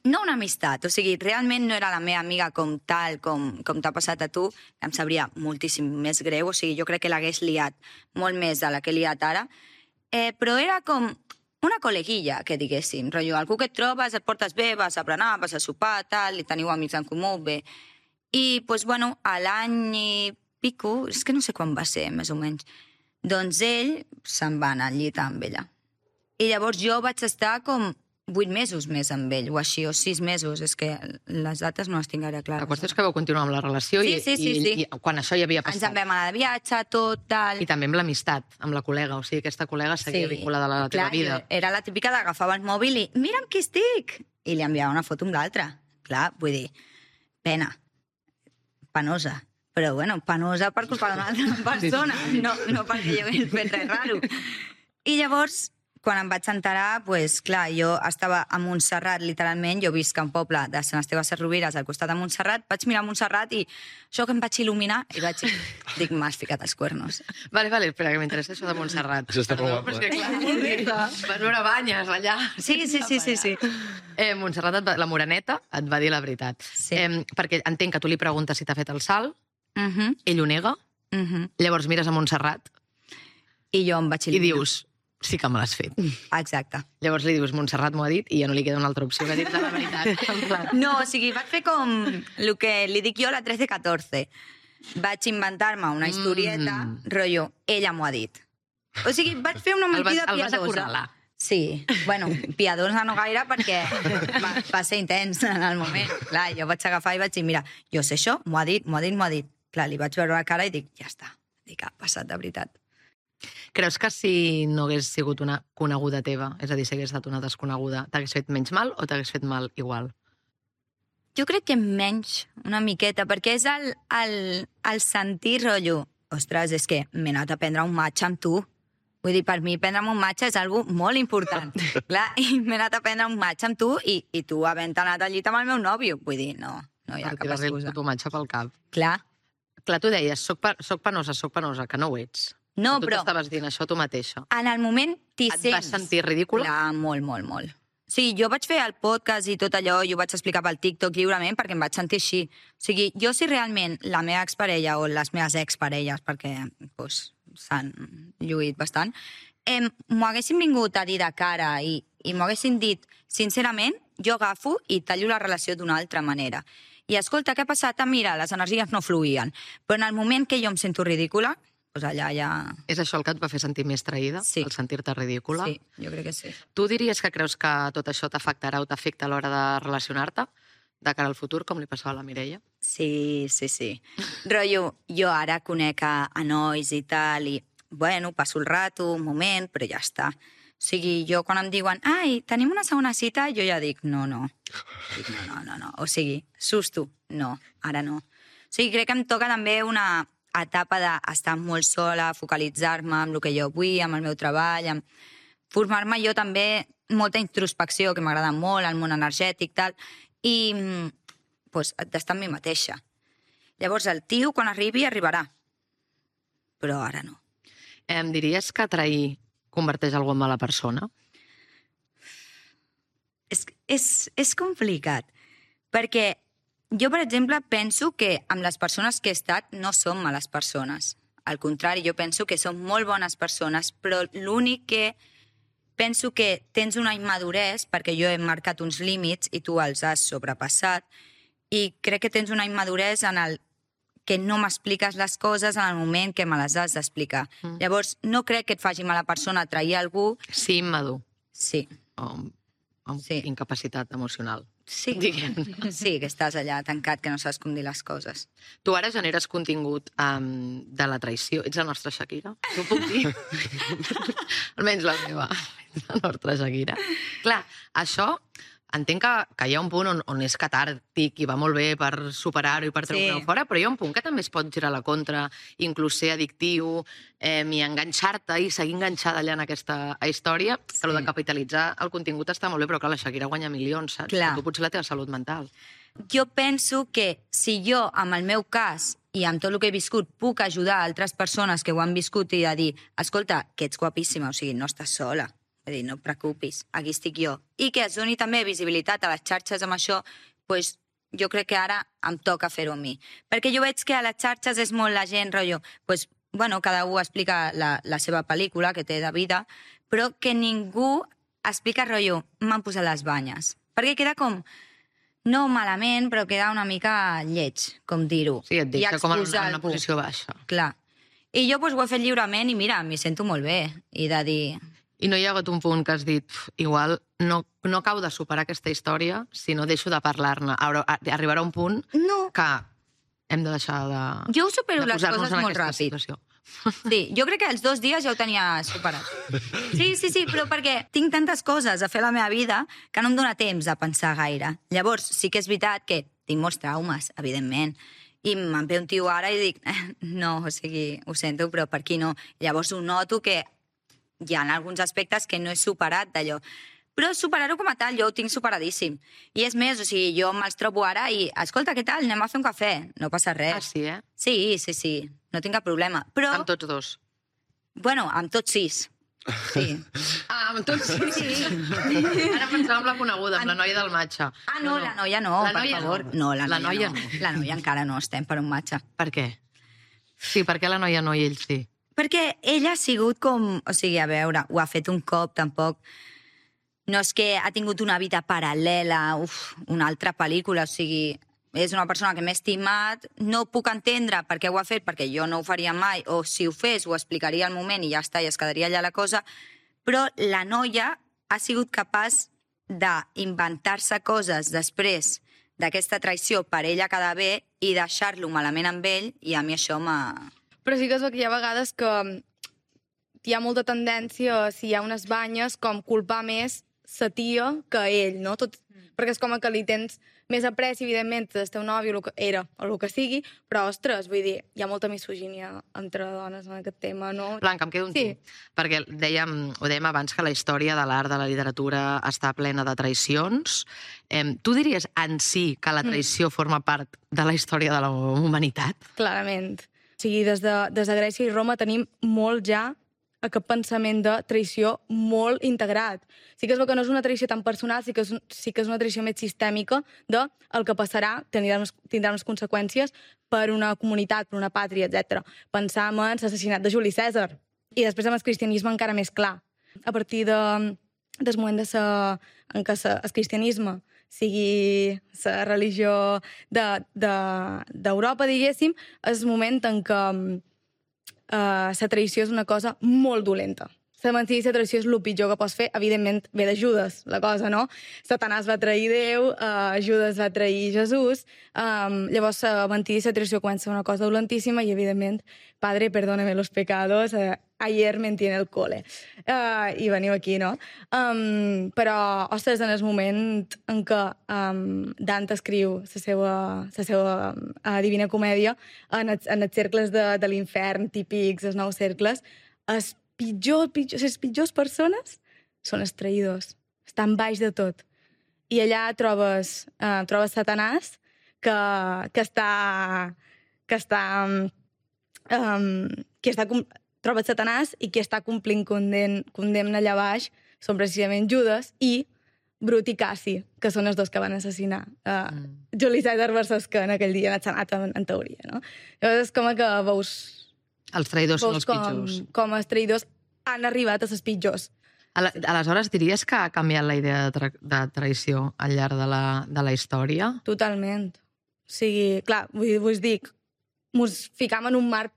no una amistat, o sigui, realment no era la meva amiga com tal, com, com t'ha passat a tu, em sabria moltíssim més greu, o sigui, jo crec que l'hagués liat molt més de la que he liat ara, eh, però era com una col·leguilla, que diguéssim, rotllo, algú que et trobes, et portes bé, vas a berenar, vas a sopar, tal, i teniu amics en comú, bé. I, doncs, bueno, a l'any i pico, és que no sé quan va ser, més o menys, doncs ell se'n va anar al llit amb ella. I llavors jo vaig estar com vuit mesos més amb ell, o així, o sis mesos, és que les dates no les tinc ara clares.
La qüestió és que vau continuar amb la relació
Sí,
i,
sí, sí,
i,
sí.
i quan això ja havia
Ens en
passat.
vam anar de viatge, tot, tal...
I també amb l'amistat, amb la col·lega. O sigui, aquesta col·lega seguia vinculada a la teva
clar,
vida.
jo Era la típica d'agafava el mòbil i mira amb qui estic! I li enviava una foto amb l'altra. Clar, vull dir, pena. Penosa. Però, bueno, penosa per culpa d'una altra persona, no, no perquè jo hagués fet res raro. I llavors, quan em vaig enterar, pues, clar, jo estava a Montserrat, literalment, jo visc a un poble de Sant Esteve Sesrovires, al costat de Montserrat, vaig mirar Montserrat i això que em vaig il·luminar, i vaig dir, dic, m'has ficat els cuernos.
Vale, vale, espera, que m'interessa això de Montserrat.
Això està molt guapo,
Perquè, clar, vas veure banyes allà.
Sí, sí, sí, sí, sí.
Eh, Montserrat, et va, la moreneta, et va dir la veritat.
Sí.
Eh, perquè entenc que tu li preguntes si t'ha fet el salt,
Uh -huh,
ell ho nega,
uh -huh.
llavors mires a Montserrat
I jo em vaig
i
il·luminar.
dius, sí que me l'has fet.
Exacte.
Llavors li dius, Montserrat m'ho ha dit, i ja no li queda una altra opció que dir-te la veritat. En plan,
No, o sigui, vaig fer com el que li dic jo a la trece catorce. Vaig inventar-me una historieta,
Mm.
rotllo, ella m'ho ha dit. O sigui, vaig fer una
El vas-
mentida
el vas
piadosa.
acorralar.
Sí, bueno, piadosa no gaire perquè va, va ser intens en el moment. Clar, jo vaig agafar i vaig dir, mira, jo sé això, m'ho ha dit, m'ho ha dit, m'ho ha dit. Clar, li vaig veure la cara i dic, ja està, dic, ha passat de veritat.
Creus que si no hagués sigut una coneguda teva, és a dir, si hagués estat una desconeguda, t'hagués fet menys mal o t'hagués fet mal igual?
Jo crec que menys, una miqueta, perquè és el, el, el sentir rotllo. Ostres, és que m'he anat a prendre un matx amb tu. Vull dir, per mi prendre'm un matx és algo molt important. Clar, i m'he anat a prendre un matx amb tu i, i tu havent anat al llit amb el meu nòvio. Vull dir, no, no hi ha cap excusa.
Tu matxa pel cap.
Clar.
Clar, tu deies, soc, pa, soc penosa, soc penosa, que no ho ets.
No,
tu
però...
Tu t'estaves dient això tu mateixa.
En el moment t'hi
sents...
sents...
Et vas sentir ridícula?
Clar, molt, molt, molt. Sí, jo vaig fer el podcast i tot allò, i ho vaig explicar pel TikTok lliurement perquè em vaig sentir així. O sigui, jo si realment la meva exparella o les meves exparelles, perquè pues, s'han lluït bastant, eh, m'ho haguessin vingut a dir de cara i, i m'ho haguessin dit sincerament, jo agafo i tallo la relació d'una altra manera. I escolta, què ha passat? Ah, mira, les energies no fluïen. Però en el moment que jo em sento ridícula, doncs allà ja...
És això el que et va fer sentir més traïda?
Sí.
El sentir-te ridícula?
Sí, jo crec que sí.
Tu diries que creus que tot això t'afectarà o t'afecta a l'hora de relacionar-te de cara al futur, com li passava a la Mireia?
Sí, sí, sí. Rotllo, jo ara conec a, a nois i tal, i, bueno, passo el rato, un moment, però ja està. O sigui, jo quan em diuen, ai, tenim una segona cita, jo ja dic, no, no. Dic, no, no, no, no. O sigui, susto, no, ara no. O sigui, crec que em toca també una etapa d'estar molt sola, focalitzar-me en el que jo vull, amb el meu treball, amb formar-me jo també molta introspecció, que m'agrada molt, el món energètic, tal, i pues, d'estar amb mi mateixa. Llavors, el tio, quan arribi, arribarà. Però ara no.
Em diries que trair converteix algú en mala persona?
És, és, és complicat, perquè jo, per exemple, penso que amb les persones que he estat no som males persones. Al contrari, jo penso que som molt bones persones, però l'únic que penso que tens una immaduresa, perquè jo he marcat uns límits i tu els has sobrepassat, i crec que tens una immaduresa en el que no m'expliques les coses en el moment que me les has d'explicar. Mm. Llavors, no crec que et faci mala persona trair algú.
Sí, immadur.
Sí.
O amb
sí.
incapacitat emocional.
Sí. Sí, que estàs allà tancat, que no saps com dir les coses.
Tu ara generes contingut um, de la traïció. Ets la nostra Shakira? T'ho puc dir? Almenys la meva. Ets la nostra Shakira. Clar, això... Entenc que, que hi ha un punt on, on és catàrtic i va molt bé per superar-ho i per treure-ho sí. fora, però hi ha un punt que també es pot girar a la contra, inclús ser addictiu, eh, i enganxar-te i seguir enganxada allà en aquesta història, sí. que el de capitalitzar el contingut està molt bé, però clar, la Shakira guanya milions, saps? Clar. Tu potser la teva salut mental.
Jo penso que si jo, amb el meu cas i amb tot el que he viscut, puc ajudar altres persones que ho han viscut i a dir, escolta, que ets guapíssima, o sigui, no estàs sola. És dir, no et preocupis, aquí estic jo. I que es doni també visibilitat a les xarxes amb això, doncs jo crec que ara em toca fer-ho a mi. Perquè jo veig que a les xarxes és molt la gent, rotllo, doncs, bueno, cada un explica la, la seva pel·lícula que té de vida, però que ningú explica, rotllo, m'han posat les banyes. Perquè queda com, no malament, però queda una mica lleig, com dir-ho.
Sí, et deixa com en una, una posició baixa.
Clar. I jo doncs, ho he fet lliurement i mira, m'hi sento molt bé. I de dir...
I no hi ha hagut un punt que has dit, igual, no, no acabo de superar aquesta història si no deixo de parlar-ne. Arribarà un punt
no.
que hem de deixar de
Jo ho supero les coses molt ràpid.
Situació.
Sí, jo crec que els dos dies ja ho tenia superat. Sí, sí, sí, però perquè tinc tantes coses a fer a la meva vida que no em dóna temps a pensar gaire. Llavors, sí que és veritat que tinc molts traumes, evidentment, i me'n ve un tio ara i dic, no, o sigui, ho sento, però per aquí no. Llavors ho noto que hi ha alguns aspectes que no he superat d'allò. Però superar-ho com a tal, jo ho tinc superadíssim. I és més, o sigui, jo me'ls trobo ara i, escolta, què tal, anem a fer un cafè? No passa res.
Ah, sí, eh?
Sí, sí, sí, no tinc cap problema. Però...
Amb tots dos?
Bueno, amb tots sis. Sí.
Ah, amb tots sis? Sí. Ara pensava amb la coneguda, amb la noia del matxa.
Ah, no, no, la noia no,
la
per
noia
favor.
No,
no la,
la
noia,
noia
no.
no.
La noia encara no estem per un matxa.
Per què? Sí, per què la noia no i ell sí?
Perquè ella ha sigut com... O sigui, a veure, ho ha fet un cop, tampoc... No és que ha tingut una vida paral·lela, uf, una altra pel·lícula, o sigui... És una persona que m'he estimat, no puc entendre per què ho ha fet, perquè jo no ho faria mai, o si ho fes ho explicaria al moment i ja està, i es quedaria allà la cosa, però la noia ha sigut capaç d'inventar-se coses després d'aquesta traïció per ella quedar bé i deixar-lo malament amb ell, i a mi això m'ha...
Però sí que es veu que hi ha vegades que hi ha molta tendència, si hi ha unes banyes, com culpar més sa tia que ell, no? Tot, perquè és com que li tens més apreci, evidentment, del teu nòvio, el que era, o el que sigui, però, ostres, vull dir, hi ha molta misogínia entre dones en aquest tema, no?
Blanca, em quedo amb
Sí.
tu. Perquè dèiem, ho dèiem abans, que la història de l'art, de la literatura, està plena de traïcions. Em, tu diries en si que la traïció forma part de la història de la humanitat?
Clarament. O sigui, des de, des de Grècia i Roma tenim molt ja aquest pensament de traïció molt integrat. Sí que es veu que no és una traïció tan personal, sí que és, un, sí que és una traïció més sistèmica de el que passarà, tindrà unes, tindrà unes conseqüències per una comunitat, per una pàtria, etcètera. Pensam en l'assassinat de Juli Cèsar. I després amb el cristianisme encara més clar. A partir de, del moment de sa, en què sa, el cristianisme sigui la religió d'Europa, de, de, diguéssim, és el moment en què Uh, la traïció és una cosa molt dolenta. La mentida i la traïció és el pitjor que pots fer. Evidentment, ve de Judes, la cosa, no? Satanàs va trair Déu, uh, Judes va trair Jesús, um, llavors la mentida i la traïció comença una cosa dolentíssima i, evidentment, Padre, perdóname los pecados, uh, ayer mentí en el cole. Uh, I veniu aquí, no? Um, però, ostres, en el moment en què um, Dante escriu la seva, la seva uh, Divina Comèdia, en els, en els cercles de, de l'infern típics, els nous cercles, els pitjors, pitjors, les pitjors persones són els traïdors. Estan baix de tot. I allà trobes, uh, trobes Satanàs, que, que està... que està... Um, que està trobes Satanàs i qui està complint condemn, condemna allà baix són precisament Judes i Brut i Cassi, que són els dos que van assassinar uh, mm. Juli Cèsar versus que en aquell dia en el Senat, en, en teoria, no? Llavors és com que veus...
Els traïdors són els
com,
pitjors.
Com els traïdors han arribat a els pitjors.
Aleshores, diries que ha canviat la idea de, tra de traïció al llarg de la, de la història?
Totalment. O sigui, clar, vull, vull dir, mos ficam en un marc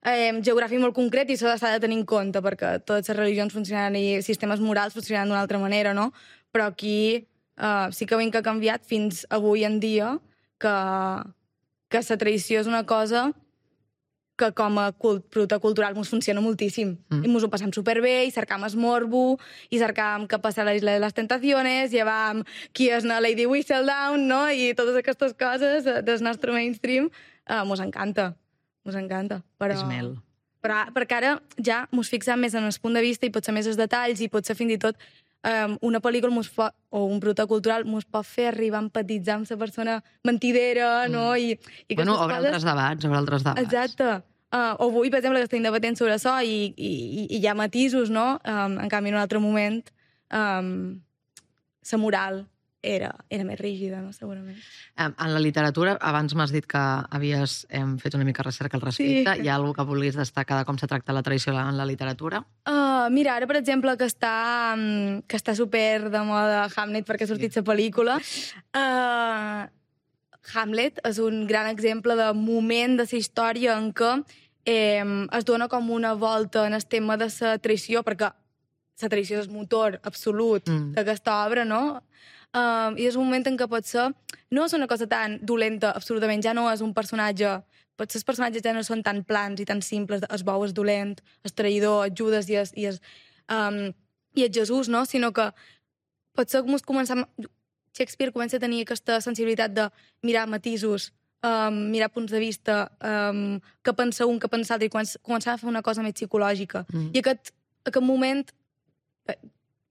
eh, geogràfic molt concret i això s'ha de tenir en compte perquè totes les religions funcionen i sistemes morals funcionen d'una altra manera, no? Però aquí eh, sí que veiem que ha canviat fins avui en dia que, que la traïció és una cosa que com a cult, producte cultural ens funciona moltíssim. Mm. I ens ho passam superbé, i cercam el morbo, i cercam què passa a la Isla de les Tentaciones, llevam qui és la Lady Whistledown, no? I totes aquestes coses del nostre mainstream, eh, mos encanta, mos encanta. Però,
Esmel.
però, perquè ara ja mos fixem més en el punt de vista i potser més els detalls i potser fins i tot um, una pel·lícula mos pot, o un producte cultural mos pot fer arribar a empatitzar amb la persona mentidera, mm. no? I, i
bueno, obre
coses...
altres debats, obre altres debats.
Exacte. Uh, o avui, per exemple, que estem debatent sobre això i, i, i hi ha matisos, no? Um, en canvi, en un altre moment, um, la moral era, era més rígida, no? Segurament.
Um, en la literatura, abans m'has dit que havies um, fet una mica recerca al respecte.
Sí.
Hi ha alguna que vulguis destacar de com s'ha tractat la traïció en la literatura?
Uh, mira, ara, per exemple, que està, um, que està super de moda Hamlet perquè ha sortit la pel·lícula, uh, Hamlet és un gran exemple de moment de la història en què eh, es dona com una volta en el tema de la traïció, perquè la traïció és el motor absolut mm. d'aquesta obra, no? Uh, I és un moment en què potser no és una cosa tan dolenta, absolutament, ja no és un personatge... Potser els personatges ja no són tan plans i tan simples, el bou és dolent, el traïdor, el Judes i el, i el, um, i el Jesús, no? Sinó que potser començam... Shakespeare comença a tenir aquesta sensibilitat de mirar matisos, um, mirar punts de vista, um, què pensa un, què pensa l'altre, i començar a fer una cosa més psicològica. Mm. I aquest, aquest moment, eh,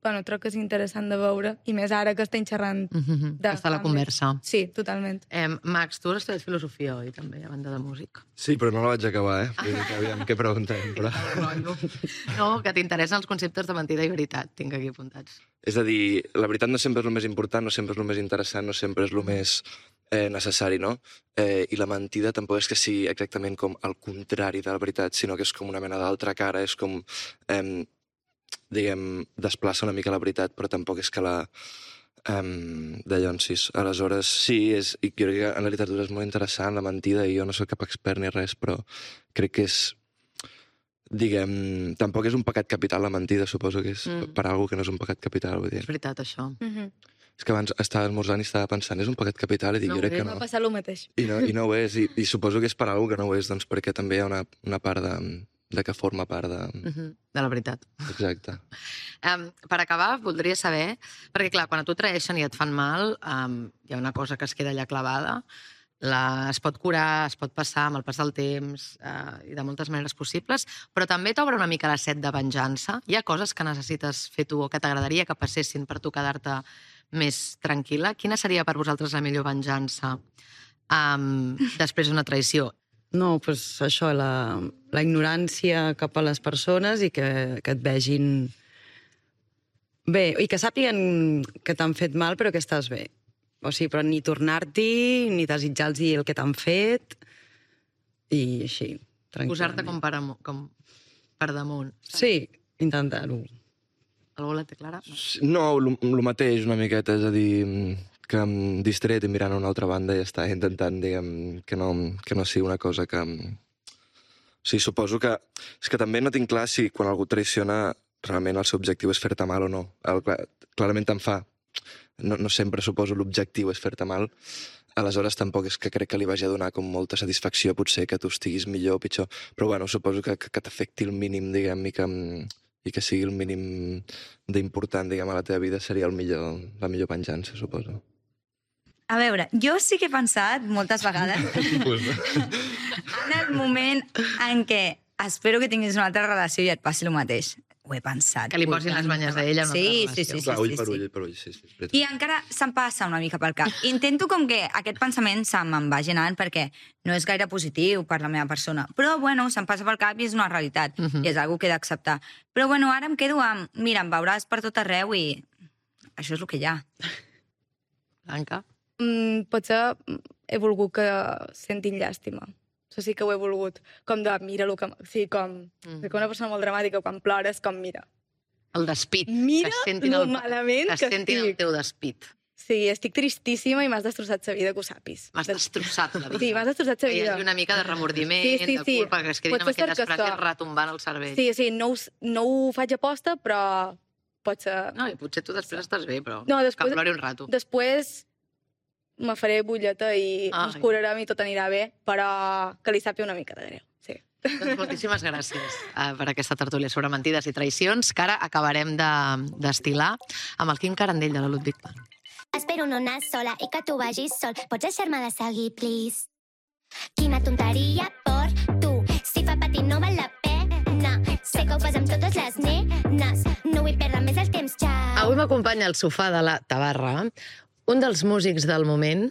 bueno, crec que és interessant de veure, i més ara que estem xerrant...
Mm-hmm.
de
Està la conversa.
Sí, totalment.
Eh, Max, tu has estudiat filosofia, oi, també, a banda de música?
Sí, però no la vaig acabar, eh? Vull dir que aviam què preguntem, però...
No, que t'interessen els conceptes de mentida i veritat, tinc aquí apuntats.
És a dir, la veritat no sempre és el més important, no sempre és el més interessant, no sempre és el més eh, necessari, no? Eh, I la mentida tampoc és que sigui exactament com el contrari de la veritat, sinó que és com una mena d'altra cara, és com, eh, diguem, desplaça una mica la veritat, però tampoc és que la... Um, de Llonsis. Aleshores, sí, és, i jo crec que en la literatura és molt interessant la mentida, i jo no soc cap expert ni res, però crec que és diguem, tampoc és un pecat capital la mentida, suposo que és mm. per algú que no és un pecat capital, vull dir.
És veritat, això.
Mhm.
És que abans estava esmorzant i estava pensant, és un pecat capital? I dic,
No,
jo crec que
M'ha
no.
passat el mateix.
I no, i no ho és, i, i suposo que és per algú que no ho és, doncs perquè també hi ha una, una part de, de que forma part de...
Mhm, de la veritat.
Exacte.
Um, per acabar, voldria saber, perquè clar, quan a tu traeixen i et fan mal, um, hi ha una cosa que es queda allà clavada, la, es pot curar, es pot passar amb el pas del temps uh, i de moltes maneres possibles, però també t'obre una mica la set de venjança. Hi ha coses que necessites fer tu o que t'agradaria que passessin per tu quedar-te més tranquil·la. Quina seria per vosaltres la millor venjança um, després d'una traïció?
No, doncs això, la, la ignorància cap a les persones i que, que et vegin bé, i que sàpiguen que t'han fet mal però que estàs bé. O sigui, però ni tornar-t'hi, ni desitjar-los el que t'han fet, i així, tranquil·lament.
Posar-te com, per amo- com per damunt.
Sí, intentar-ho.
Algú la té clara?
No, el mateix una miqueta, és a dir, que em distret i mirant a una altra banda i està intentant, diguem, que no, que no sigui una cosa que... O sigui, suposo que... És que també no tinc clar si quan algú traiciona realment el seu objectiu és fer-te mal o no. El, clarament te'n fa. No, no sempre, suposo, l'objectiu és fer-te mal. Aleshores, tampoc és que crec que li vagi a donar com molta satisfacció, potser que tu estiguis millor o pitjor. Però, bueno, suposo que, que, que t'afecti el mínim, diguem, i que, i que sigui el mínim d'important, diguem, a la teva vida seria el millor, la millor venjança, suposo.
A veure, jo sí que he pensat moltes vegades en el moment en què espero que tinguis una altra relació i et passi el mateix. Ho he pensat.
Que li posin les banyes d'ella en una
sí,
altra
sí,
relació.
sí, sí,
Clar, ull
sí,
per
sí.
ull, per ull, sí, sí. és veritat.
I encara se'm passa una mica pel cap. Intento com que aquest pensament se me'n vagi anant perquè no és gaire positiu per la meva persona. Però, bueno, se'm passa pel cap i és una realitat. Uh -huh. I és una que he d'acceptar. Però, bueno, ara em quedo amb... Mira, em veuràs per tot arreu i... Això és el que hi ha.
Blanca?
Mm, potser he volgut que sentin llàstima. Això sí que ho he volgut. Com de, mira el que... Sí, com... Mm. Com una persona molt dramàtica, quan plores, com, mira.
El despit.
Mira
que sentin
lo
el,
malament
que
que
sentin
estic.
el teu despit.
Sí, estic tristíssima i m'has destrossat la vida, que ho sàpis.
M'has destrossat la vida.
Sí, m'has destrossat la
Que hi
vida.
hagi una mica de remordiment,
Sí, sí,
de
sí.
culpa, que es quedin amb
Potser
aquelles
cert que
frases
això.
retombant al cervell.
Sí, sí, no ho, no ho faig a posta, però pot ser...
No, i potser tu després estàs bé, però
No, després-
que plori un rato.
Després me faré bulleta i
Ai.
ens curarem i tot anirà bé, però que li sàpiga una mica de greu. Sí.
Doncs moltíssimes gràcies uh, per aquesta tertúlia sobre mentides i traïcions, que ara acabarem de- d'estilar amb el Quim Carandell de la Ludwig Band.
Espero no anar sola i que tu vagis sol. Pots deixar-me de seguir, please? Quina tonteria per tu. Si fa patir no val la pena. Sé que ho fas amb totes les nenes. No vull perdre més el temps, xau.
Avui m'acompanya al sofà de la Tabarra un dels músics del moment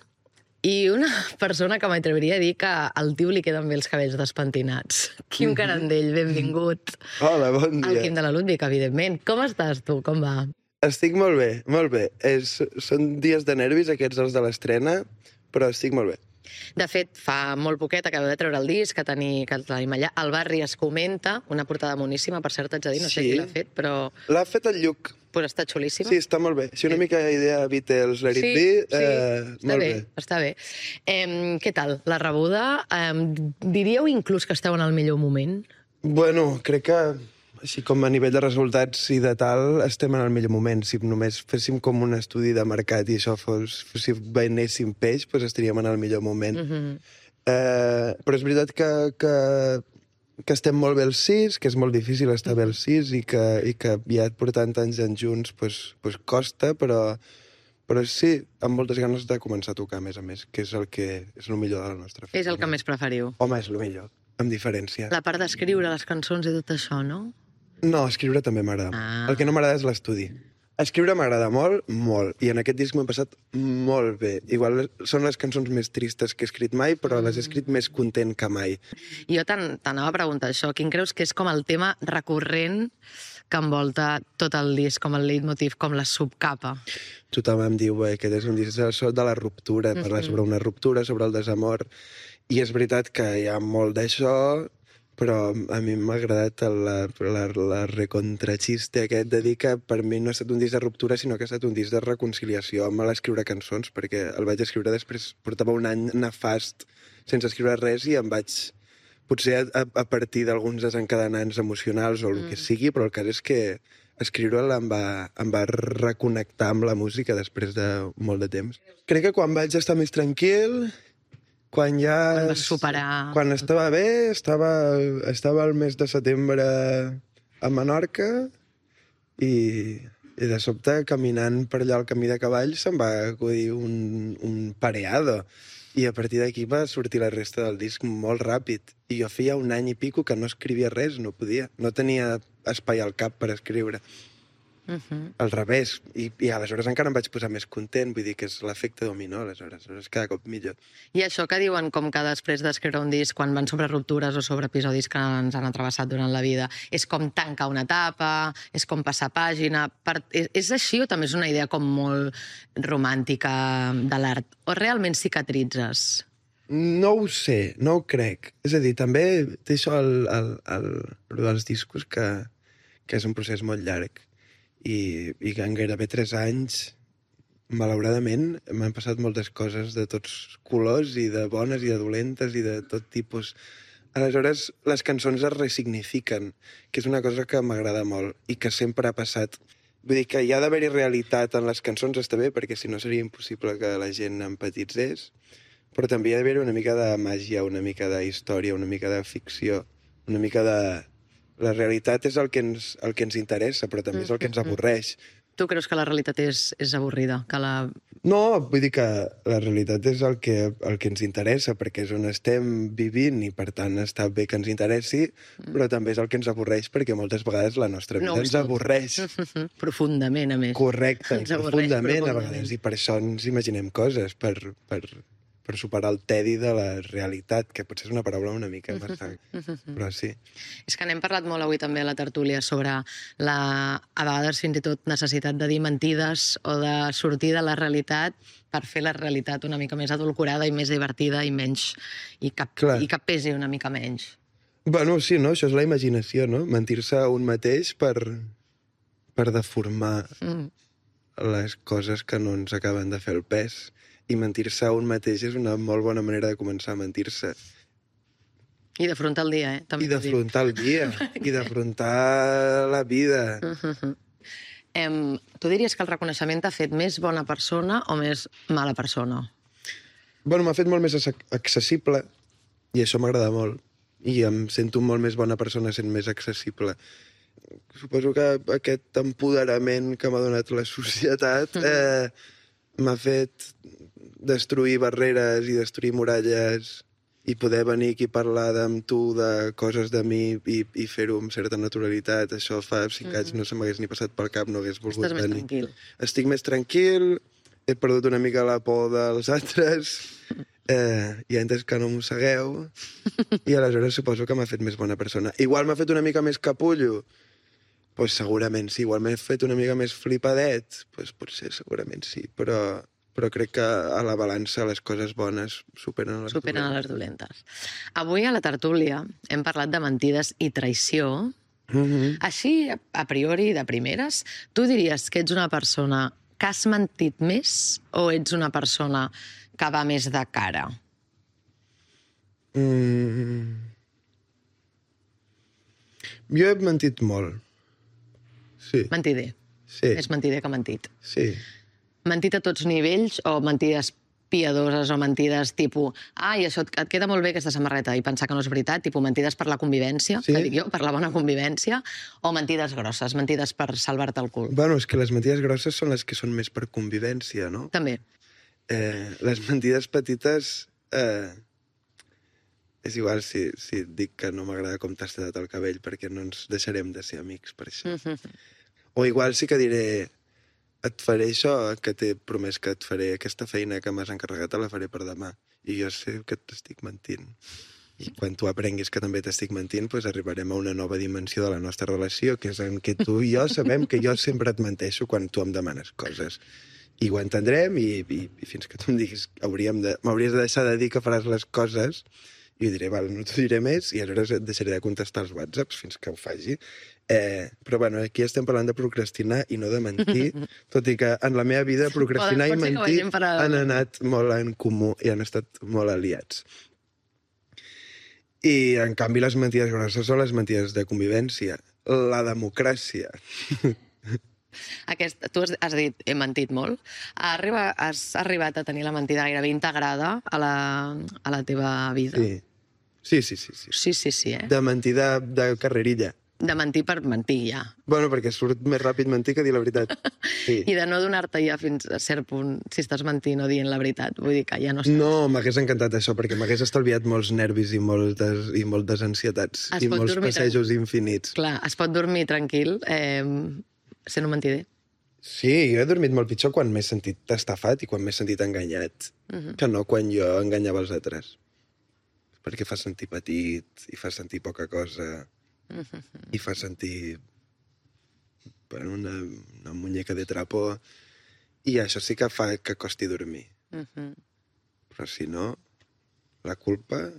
i una persona que m'atreviria a dir que al tio li queden bé els cabells despentinats. Quim Carandell, benvingut.
Hola, bon
El
dia.
Quim de la Ludwig, evidentment. Com estàs tu? Com va?
Estic molt bé, molt bé. És, són dies de nervis, aquests els de l'estrena, però estic molt bé.
De fet, fa molt poquet acabeu de treure el disc que, teni, que el tenim allà. Al barri es comenta, una portada moníssima, per cert, haig de dir, no sé
Sí.
qui l'ha fet, però
L'ha fet el Lluc.
pues, està xulíssima.
Sí, està molt bé. Si una mica idea Beatles, Let It
Sí,
Be,
sí,
eh,
està
molt
bé,
bé.
està bé. Eh, què tal, la rebuda? Eh, diríeu inclús que esteu en el millor moment?
Bueno, crec que així com a nivell de resultats i de tal, estem en el millor moment. Si només féssim com un estudi de mercat i això fos... Si venéssim peix, doncs estaríem en el millor moment.
Mm -hmm.
Eh, però és veritat que, que, que estem molt bé els sis, que és molt difícil estar bé els sis i que, i que ja portant tants anys junts pues, pues costa, però, però sí, amb moltes ganes de començar a tocar, a més a més, que és el que és el millor de la nostra feina.
És el que més preferiu.
Home, és el millor, amb diferència.
La part d'escriure les cançons i tot això, no?
No, escriure també m'agrada.
Ah.
El que no m'agrada és l'estudi. Escriure m'agrada molt, molt, i en aquest disc m'he passat molt bé. Igual són les cançons més tristes que he escrit mai, però les he escrit més content que mai.
Jo t'anava a preguntar això. Quin creus que és com el tema recurrent que envolta tot el disc, com el leitmotiv, com la subcapa?
Tothom em diu eh, que aquest és un disc de la ruptura, parlar sobre una ruptura, sobre el desamor, i és veritat que hi ha molt d'això, però a mi m'ha agradat la, la, la recontrachiste aquest de dir que per mi no ha estat un disc de ruptura, sinó que ha estat un disc de reconciliació amb l'escriure cançons, perquè el vaig escriure després, portava un any nefast sense escriure res i em vaig potser a, a partir d'alguns desencadenants emocionals o el mm. que sigui, però el cas és que escriure-la em va, em va reconnectar amb la música després de molt de temps. Crec que quan vaig estar més tranquil, quan ja...
Quan vas superar...
Quan estava bé, estava, estava el mes de setembre a Menorca i, i de sobte, caminant per allà al camí de cavalls, se'm va acudir un, un pareado. I a partir d'aquí va sortir la resta del disc molt ràpid. I jo feia un any i pico que no escrivia res, no podia. No tenia espai al cap per escriure. Uh-huh. Al revés. I, I aleshores encara em vaig posar més content. Vull dir que és l'efecte dominó, aleshores. Aleshores cada cop millor.
I això que diuen com que després d'escriure un disc, quan van sobre ruptures o sobre episodis que ens han atravessat durant la vida, és com tancar una etapa, és com passar pàgina... Per... És, és així o també és una idea com molt romàntica de l'art? O realment cicatritzes?
No ho sé, no ho crec. És a dir, també té això el, el, el, el dels discos, que, que és un procés molt llarg. I, i en gairebé tres anys, malauradament, m'han passat moltes coses de tots colors, i de bones i de dolentes, i de tot tipus. Aleshores, les cançons es resignifiquen, que és una cosa que m'agrada molt, i que sempre ha passat. Vull dir que hi ha d'haver-hi realitat en les cançons, està bé, perquè si no seria impossible que la gent empatitzés, però també hi ha d'haver-hi una mica de màgia, una mica de història, una mica de ficció, una mica de... La realitat és el que ens, el que ens interessa, però també és el que ens avorreix.
Tu creus que la realitat és, és avorrida? Que la...
No, vull dir que la realitat és el que, el que ens interessa, perquè és on estem vivint i, per tant, està bé que ens interessi, però també és el que ens avorreix, perquè moltes vegades la nostra vida no, ens avorreix.
Profundament, a més.
Correcte, ens profundament, profundament a vegades, i per això ens imaginem coses, per... per... per superar el tedi de la realitat, que potser és una paraula una mica massa, però sí.
És que n'hem parlat molt avui també a la tertúlia sobre la, a vegades fins i tot necessitat de dir mentides o de sortir de la realitat per fer la realitat una mica més adulcorada i més divertida i menys, i que, i que pesi una mica menys.
Bueno, sí, no? Això és la imaginació, no? Mentir-se a un mateix per, per deformar mm. les coses que no ens acaben de fer el pes. I mentir-se a un mateix és una molt bona manera de començar a mentir-se.
I d'afrontar el dia, eh? També
I d'afrontar el dia. I d'afrontar la vida.
Uh-huh. em, tu diries que el reconeixement t'ha fet més bona persona o més mala persona?
Bueno, m'ha fet molt més accessible i això m'agrada molt. I em sento molt més bona persona sent més accessible. Suposo que aquest empoderament que m'ha donat la societat eh, m'ha fet destruir barreres i destruir muralles i poder venir aquí a parlar amb tu de coses de mi i, i fer-ho amb certa naturalitat. Això fa cinc mm-hmm. anys no se m'hagués ni passat pel cap, no hagués volgut
Estàs
venir.
Més tranquil.
Estic més tranquil, he perdut una mica la por dels altres, eh, i he entès que no mossegueu, i aleshores suposo que m'ha fet més bona persona. Igual m'ha fet una mica més capullo? Doncs pues segurament sí. Igual m'he fet una mica més flipadet? Doncs pues potser segurament sí, però... però crec que a la balança les coses bones superen les
superen
dolentes.
les dolentes. Avui a la tertúlia hem parlat de mentides i traïció. Mm-hmm. Així, a priori, de primeres, tu diries que ets una persona que has mentit més o ets una persona que va més de cara?
Mm. Jo he mentit molt. Sí.
Mentider.
Sí.
És mentider que mentit.
Sí.
Mentit a tots nivells o mentides piadoses o mentides tipus ai, això et queda molt bé aquesta samarreta i pensar que no és veritat, tipus mentides per la convivència, sí. que dic jo, per la bona convivència, o mentides grosses, mentides per salvar-te el cul?
Bueno, és que les mentides grosses són les que són més per convivència, no?
També.
Eh, les mentides petites... Eh, és igual si, si et dic que no m'agrada com t'has tallat el cabell perquè no ens deixarem de ser amics per això. Mm-hmm. O igual sí que diré et faré això, que t'he promès que et faré aquesta feina que m'has encarregat, te la faré per demà. I jo sé que t'estic mentint. I quan tu aprenguis que també t'estic mentint, doncs arribarem a una nova dimensió de la nostra relació, que és en què tu i jo sabem que jo sempre et menteixo quan tu em demanes coses. I ho entendrem i, i, i fins que tu em diguis hauríem de, m'hauries de deixar de dir que faràs les coses, i jo diré, val, no t'ho diré més, i aleshores et deixaré de contestar els whatsapps fins que ho faci. Eh, però bueno, aquí estem parlant de procrastinar i no de mentir, tot i que en la meva vida procrastinar i mentir han anat molt en comú i han estat molt aliats. I, en canvi, les mentides grosses són les mentides de convivència. La democràcia.
Aquest, tu has, has dit, he mentit molt. Arriba, has arribat a tenir la mentida gairebé integrada a la, a la teva vida?
Sí. Sí, sí, sí. Sí,
sí, sí, sí eh?
De mentir de, de carrerilla.
De mentir per mentir, ja.
Bueno, perquè surt més ràpid mentir que dir la veritat. Sí.
I de no donar-te ja fins a cert punt si estàs mentint o dient la veritat. Vull dir que ja no estàs...
No, m'hagués encantat això, perquè m'hagués estalviat molts nervis i moltes, i moltes ansietats.
Es
I molts passejos
tranquil.
infinits.
Clar, es pot dormir tranquil eh, sent un mentider.
Sí, jo he dormit molt pitjor quan m'he sentit estafat i quan m'he sentit enganyat, uh -huh. que no quan jo enganyava els altres. Perquè fa sentir petit, i fa sentir poca cosa, uh -huh. i fa sentir bueno, una, una muñeca de trapo, i això sí que fa que costi dormir. Uh -huh. Però si no, la culpa...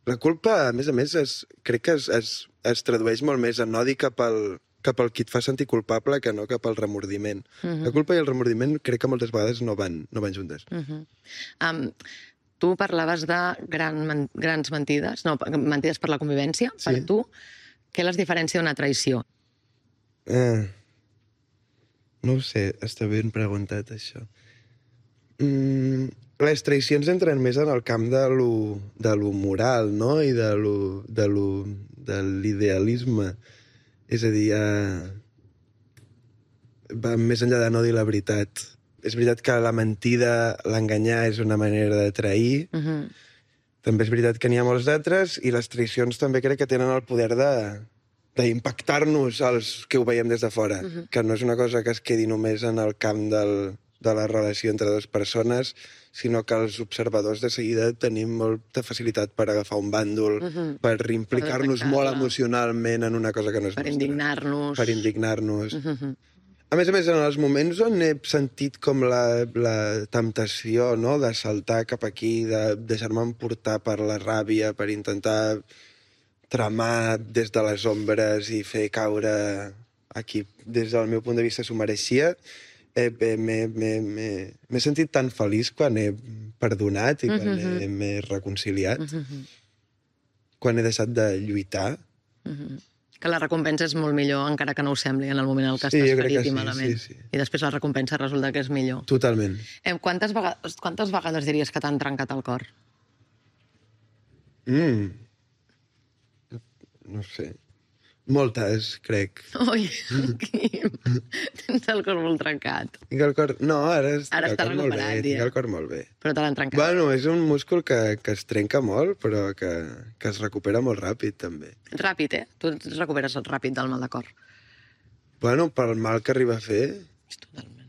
La culpa, a més a més, es, crec que es, es, es tradueix molt més en odi cap al, cap al qui et fa sentir culpable que no cap al remordiment. Uh -huh. La culpa i el remordiment crec que moltes vegades no van, no van juntes.
Uh -huh. um, tu parlaves de gran, grans mentides, no, mentides per la convivència, sí. Per tu. Què les diferencia d'una traïció?
Eh, no ho sé, està ben preguntat, això. Mm, les traïcions entren més en el camp de lo, de lo moral, no?, i de lo, de lo, de l'idealisme. És a dir, eh, va més enllà de no dir la veritat. És veritat que la mentida, l'enganyar, és una manera de trair. Uh -huh. També és veritat que n'hi ha molts d'altres, i les traïcions també crec que tenen el poder de d'impactar-nos als que ho veiem des de fora. Uh -huh. Que no és una cosa que es quedi només en el camp del, de la relació entre dues persones, sinó que els observadors de seguida tenim molta facilitat per agafar un bàndol, uh -huh. per implicar-nos molt emocionalment en una cosa que no és
per
nostra.
Indignar-nos.
Per indignar-nos. Uh -huh. A més a més, en els moments on he sentit com la, la temptació, no?, de saltar cap aquí, de deixar-me emportar per la ràbia, per intentar tramar des de les ombres i fer caure a qui, des del meu punt de vista, s'ho mereixia, eh, m'he sentit tan feliç quan he perdonat i quan uh-huh. m'he reconciliat, uh-huh. quan he deixat de lluitar.
Uh-huh. Que la recompensa és molt millor, encara que no ho sembli, en el moment en què
sí,
estàs ferit
sí,
i malament.
Sí, sí.
I després la recompensa resulta que és millor.
Totalment.
Eh, quantes, vegades, quantes vegades diries que t'han trencat el cor?
Mm. No sé. Moltes, crec.
Ui, Quim, tens el cor molt trencat.
Tinc el cor... No, ara,
ara està recuperat,
bé, tinc el cor molt bé.
Però te l'han trencat.
Bueno, és un múscul que, que es trenca molt, però que, que es recupera molt ràpid, també.
Ràpid, eh? Tu et recuperes ràpid del mal de cor.
Bueno, pel mal que arriba a fer...
Totalment.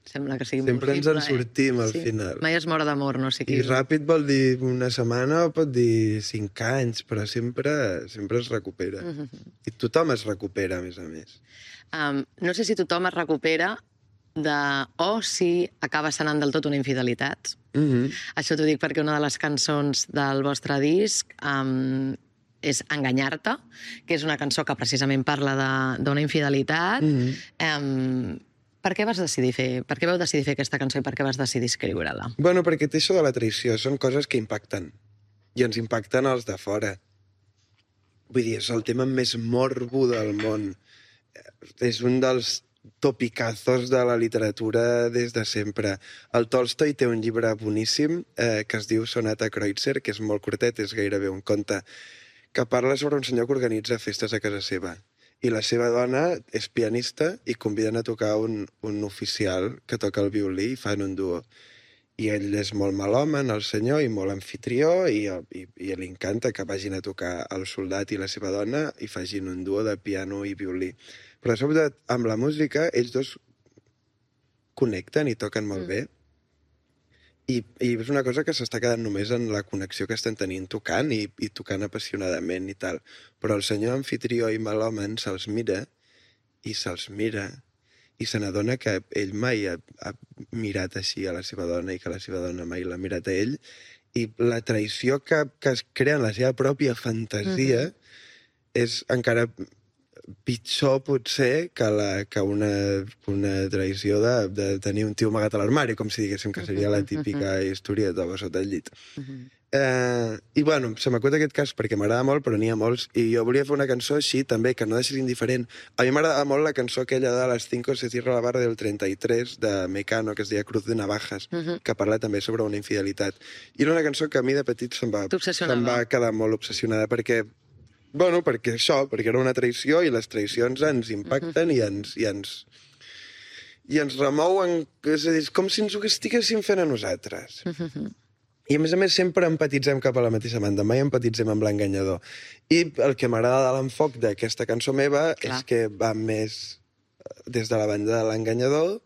Sembla que sigui
sempre
possible,
ens en sortim,
eh?
al
sí.
final.
Mai es mor d'amor, no sé qui.
I ràpid vol dir una setmana o pot dir cinc anys, però sempre, sempre es recupera. Uh -huh. I tothom es recupera, a més a més.
Um, no sé si tothom es recupera de... o si acaba sanant del tot una infidelitat. Uh -huh. Això t'ho dic perquè una de les cançons del vostre disc um, és Enganyar-te, que és una cançó que precisament parla d'una infidelitat. Uh -huh. um, Per què vas decidir fer, per què vau decidir fer aquesta cançó i per què vas decidir escriure-la?
Bueno, perquè té això de la traïció, són coses que impacten. I ens impacten els de fora. Vull dir, és el tema més morbo del món. És un dels topicazos de la literatura des de sempre. El Tolstoi té un llibre boníssim eh, que es diu Sonata Kreutzer, que és molt curtet, és gairebé un conte, que parla sobre un senyor que organitza festes a casa seva. I la seva dona és pianista i conviden a tocar un, un oficial que toca el violí i fan un duo. I ell és molt malhomen, el senyor, i molt anfitrió, i, i, i li encanta que vagin a tocar el soldat i la seva dona i facin un duo de piano i violí. Però, sobretot, amb la música, ells dos connecten i toquen molt mm. bé. I, I és una cosa que s'està quedant només en la connexió que estan tenint tocant i, i tocant apassionadament i tal. Però el senyor anfitrió i malhomen se'ls mira i se'ls mira i se n'adona que ell mai ha, ha mirat així a la seva dona i que la seva dona mai l'ha mirat a ell. I la traïció que, que es crea en la seva pròpia fantasia mm-hmm. és encara pitjor, potser, que, la, que una, una traïció de, de tenir un tio amagat a l'armari, com si diguéssim que seria la típica historieta sota el llit. Uh-huh. Eh, I, bueno, se m'acut aquest cas perquè m'agrada molt, però n'hi ha molts, i jo volia fer una cançó així, també, que no deixés indiferent. A mi m'agrada molt la cançó aquella de Las cinco se cierra la barra del trenta y tres, de Mecano, que es deia Cruz de Navajas, uh -huh. que parla també sobre una infidelitat. I era una cançó que a mi de petit se'm va, se'm va quedar molt obsessionada, perquè, bueno, perquè això, perquè era una traïció, i les traïcions ens impacten uh -huh. i ens... I ens i ens remouen, és a dir, com si ens ho estiguéssim fent a nosaltres. Uh -huh. I, a més a més, sempre empatitzem cap a la mateixa banda, mai empatitzem amb l'enganyador. I el que m'agrada de l'enfoc d'aquesta cançó meva Clar. és que va més des de la banda de l'enganyador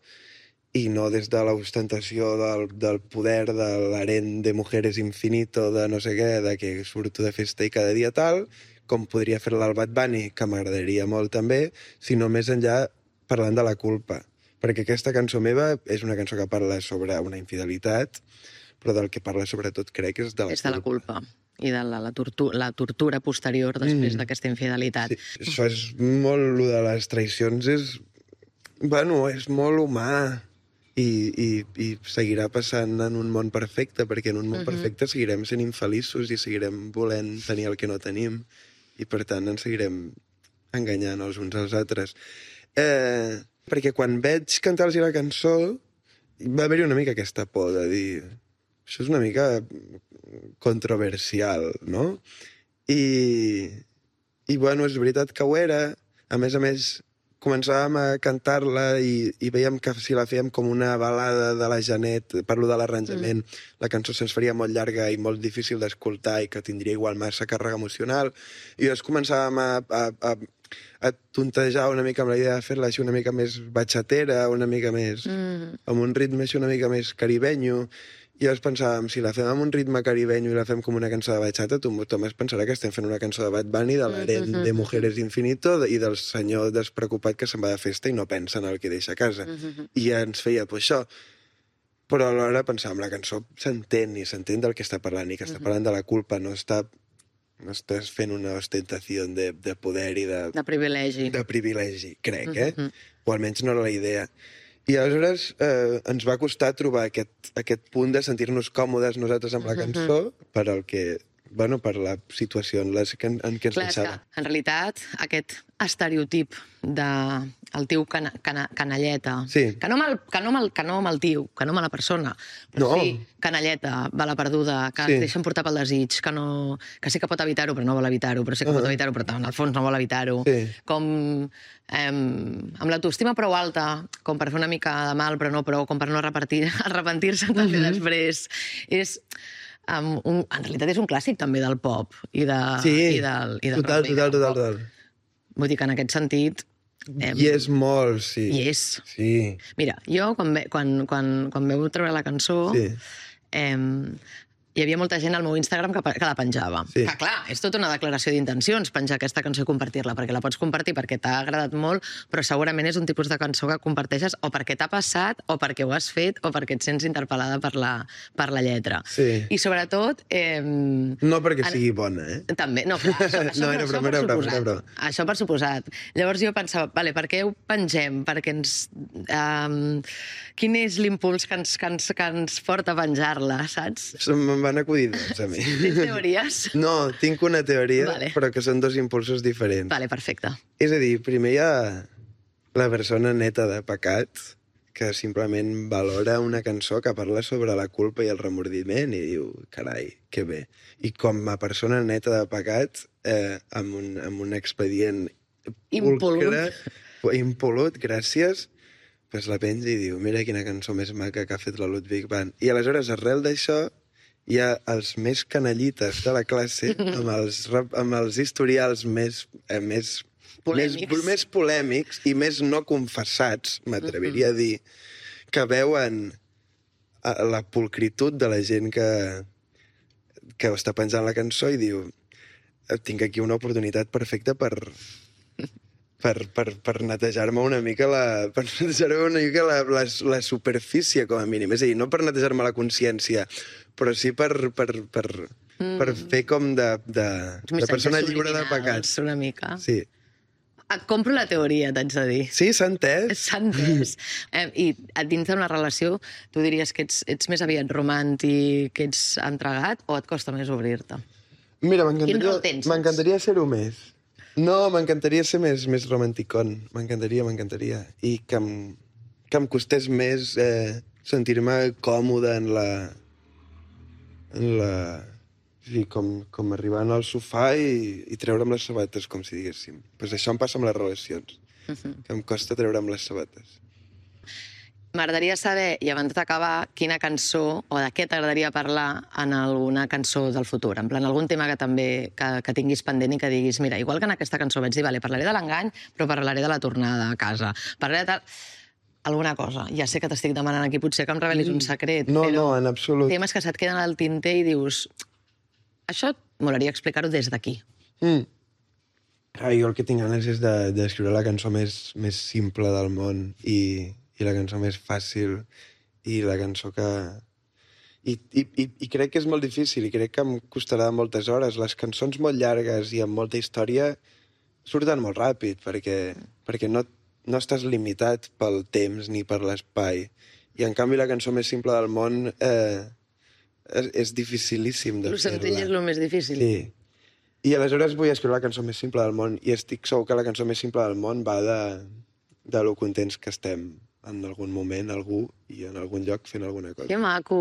i no des de l'ostentació del, del poder, de l'harén de mujeres infinito, de no sé què, de que surto de festa i cada dia tal, com podria fer-la el Bad Bunny, que m'agradaria molt també, sinó més enllà parlant de la culpa. Perquè aquesta cançó meva és una cançó que parla sobre una infidelitat, però del que parla sobretot crec és de la
és culpa. És de la culpa i de la, la, tortura, la tortura posterior després mm. d'aquesta infidelitat.
Sí, això és molt... Lo de les traïcions és... Bueno, és molt humà i, i, i seguirà passant en un món perfecte, perquè en un món uh -huh. perfecte seguirem sent infeliços i seguirem volent tenir el que no tenim i, per tant, ens seguirem enganyant els uns als altres. Eh, perquè quan veig cantar-los la cançó va haver-hi una mica aquesta por de dir... Això és una mica controversial, no? I, i bueno, és veritat que ho era. A més a més, començàvem a cantar-la i, i veiem que si la fèiem com una balada de la Janet, parlo de l'arranjament, mm. la cançó se'ns faria molt llarga i molt difícil d'escoltar i que tindria igual massa càrrega emocional. I llavors començàvem a, a, a, a tontejar una mica amb la idea de fer-la així una mica més batxatera, una mica més... Mm. amb un ritme així una mica més caribenyo. I llavors pensàvem, si la fem amb un ritme caribenyo i la fem com una cançó de bachata, tothom es pensarà que estem fent una cançó de Bad Bunny, de l'harén mm -hmm. de Mujeres Infinito i del senyor despreocupat que se'n va de festa i no pensa en el que deixa a casa. Mm -hmm. I ja ens feia pues, això. Però alhora pensàvem, la cançó s'entén i s'entén del que està parlant i que està parlant de la culpa, no està, no estàs fent una ostentació de, de poder i de...
De privilegi.
De privilegi, crec, mm -hmm. eh? O almenys no era la idea. I aleshores eh, ens va costar trobar aquest, aquest punt de sentir-nos còmodes nosaltres amb la cançó uh-huh. per el que, bueno, per la situació en, les, en, en què ens
Clar,
deixava.
En realitat, aquest estereotip de el tio cana, cana, canalleta,
sí.
que, no mal, que, no mal, que no mal tio, que no mala persona, però
no.
sí, canalleta, bala perduda, que
sí.
es deixen portar pel desig, que, no, que sí que pot evitar-ho, però no vol evitar-ho, però sí que uh-huh. pot evitar-ho, però en el fons no vol evitar-ho.
Sí.
Com eh, amb l'autoestima prou alta, com per fer una mica de mal, però no prou, com per no arrepentir-se també uh-huh. després. És... Um, un, en realitat és un clàssic també del pop i, de,
sí,
i del, i del
total, total, total, total.
Vull dir que en aquest sentit...
Eh, I és molt, sí.
I és.
Sí.
Mira, jo quan, ve, quan, quan, quan veu treure la cançó...
Sí.
Eh, hi havia molta gent al meu Instagram que, que la penjava.
Sí.
Que, clar, és tota una declaració d'intencions penjar aquesta cançó i compartir-la, perquè la pots compartir perquè t'ha agradat molt, però segurament és un tipus de cançó que comparteixes o perquè t'ha passat, o perquè ho has fet, o perquè et sents interpel·lada per la, per la lletra.
Sí.
I sobretot... Eh,
no perquè sigui bona, eh?
També, no, clar, això, això,
no, era
això,
broma,
per
era broma,
suposat.
era broma.
Això per suposat. Llavors jo pensava, vale, per què ho pengem? Perquè ens... Um, quin és l'impuls que ens, que, ens, que ens porta a penjar-la, saps?
Me'n van acudir dos, a mi.
Tens teories?
No, tinc una teoria,
vale.
però que són dos impulsos diferents.
Vale, perfecte.
És a dir, primer hi ha la persona neta de pecat, que simplement valora una cançó que parla sobre la culpa i el remordiment i diu, carai, que bé. I com a persona neta de pecat, eh, amb, un, amb un expedient
Impolut.
Impolut, gràcies, pues la penja i diu, mira quina cançó més maca que ha fet la Ludwig van. I aleshores, arrel d'això, hi ha els més canallites de la classe, amb els, amb els historials més, eh, més,
polèmics.
més, més polèmics i més no confessats, m'atreviria a dir, que veuen la pulcritud de la gent que, que està penjant la cançó i diu, tinc aquí una oportunitat perfecta per... per, per, per netejar-me una mica la, per netejar-me una mica la, la, la superfície, com a mínim. És a dir, no per netejar-me la consciència, però sí per, per, per, mm. per fer com de, de, de persona lliure de pecats.
Una mica.
Sí.
Et compro la teoria, t'haig de dir.
Sí, s'ha entès.
S'ha entès. Eh, I a dins d'una relació, tu diries que ets, ets més aviat romàntic, que ets entregat, o et costa més obrir-te?
Mira,
Quin rol tens,
m'encantaria
saps?
m'encantaria ser-ho més. No, m'encantaria ser més, més romanticón. M'encantaria, m'encantaria. I que em, que em costés més eh, sentir-me còmode en la... en la... Sí, com, com arribant al sofà i, i treure'm les sabates, com si diguéssim. Pues això em passa amb les relacions,
Uh-huh.
que em costa treure'm les sabates.
M'agradaria saber, i abans d'acabar, quina cançó o de què t'agradaria parlar en alguna cançó del futur. En plan, algun tema que també que, que tinguis pendent i que diguis, mira, igual que en aquesta cançó vaig dir, vale, parlaré de l'engany, però parlaré de la tornada a casa. Parlaré de tal... Alguna cosa. Ja sé que t'estic demanant aquí, potser que em revelis un secret,
No,
però...
no, en absolut.
Temes que se't queden al tinter i dius... Això m'agradaria explicar-ho des d'aquí.
Mm. Ah, jo el que tinc ganes és de- d'escriure de, la cançó més, més simple del món i, i la cançó més fàcil i la cançó que... I, i, i, I crec que és molt difícil i crec que em costarà moltes hores. Les cançons molt llargues i amb molta història surten molt ràpid perquè, perquè no, no estàs limitat pel temps ni per l'espai. I en canvi la cançó més simple del món eh, és, és dificilíssim de
Lo
fer-la.
senzill és el més difícil.
Sí. I aleshores vull escriure la cançó més simple del món i estic segur que la cançó més simple del món va de, de lo contents que estem en algun moment, algú, i en algun lloc fent alguna cosa.
Que maco!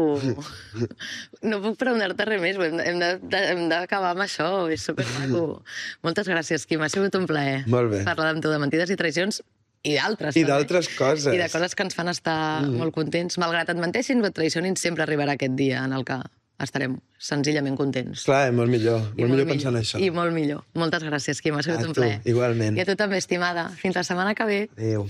No puc preguntar-te res més, hem de- hem de- de- hem d'acabar amb això, és supermaco. Moltes gràcies, Quim, ha sigut un plaer.
Molt bé.
Parlar amb tu de mentides i traïcions i d'altres.
I
també.
d'altres coses.
I de coses que ens fan estar mm. molt contents. Malgrat et menteixin o et traicionin, sempre arribarà aquest dia en el que estarem senzillament contents.
Clar, molt millor.
I
Molt millor pensar en això.
I molt millor. Moltes gràcies, Quim, ha sigut
A
un
tu,
plaer.
igualment.
I a tu també, estimada. Fins la setmana que ve.
Adéu.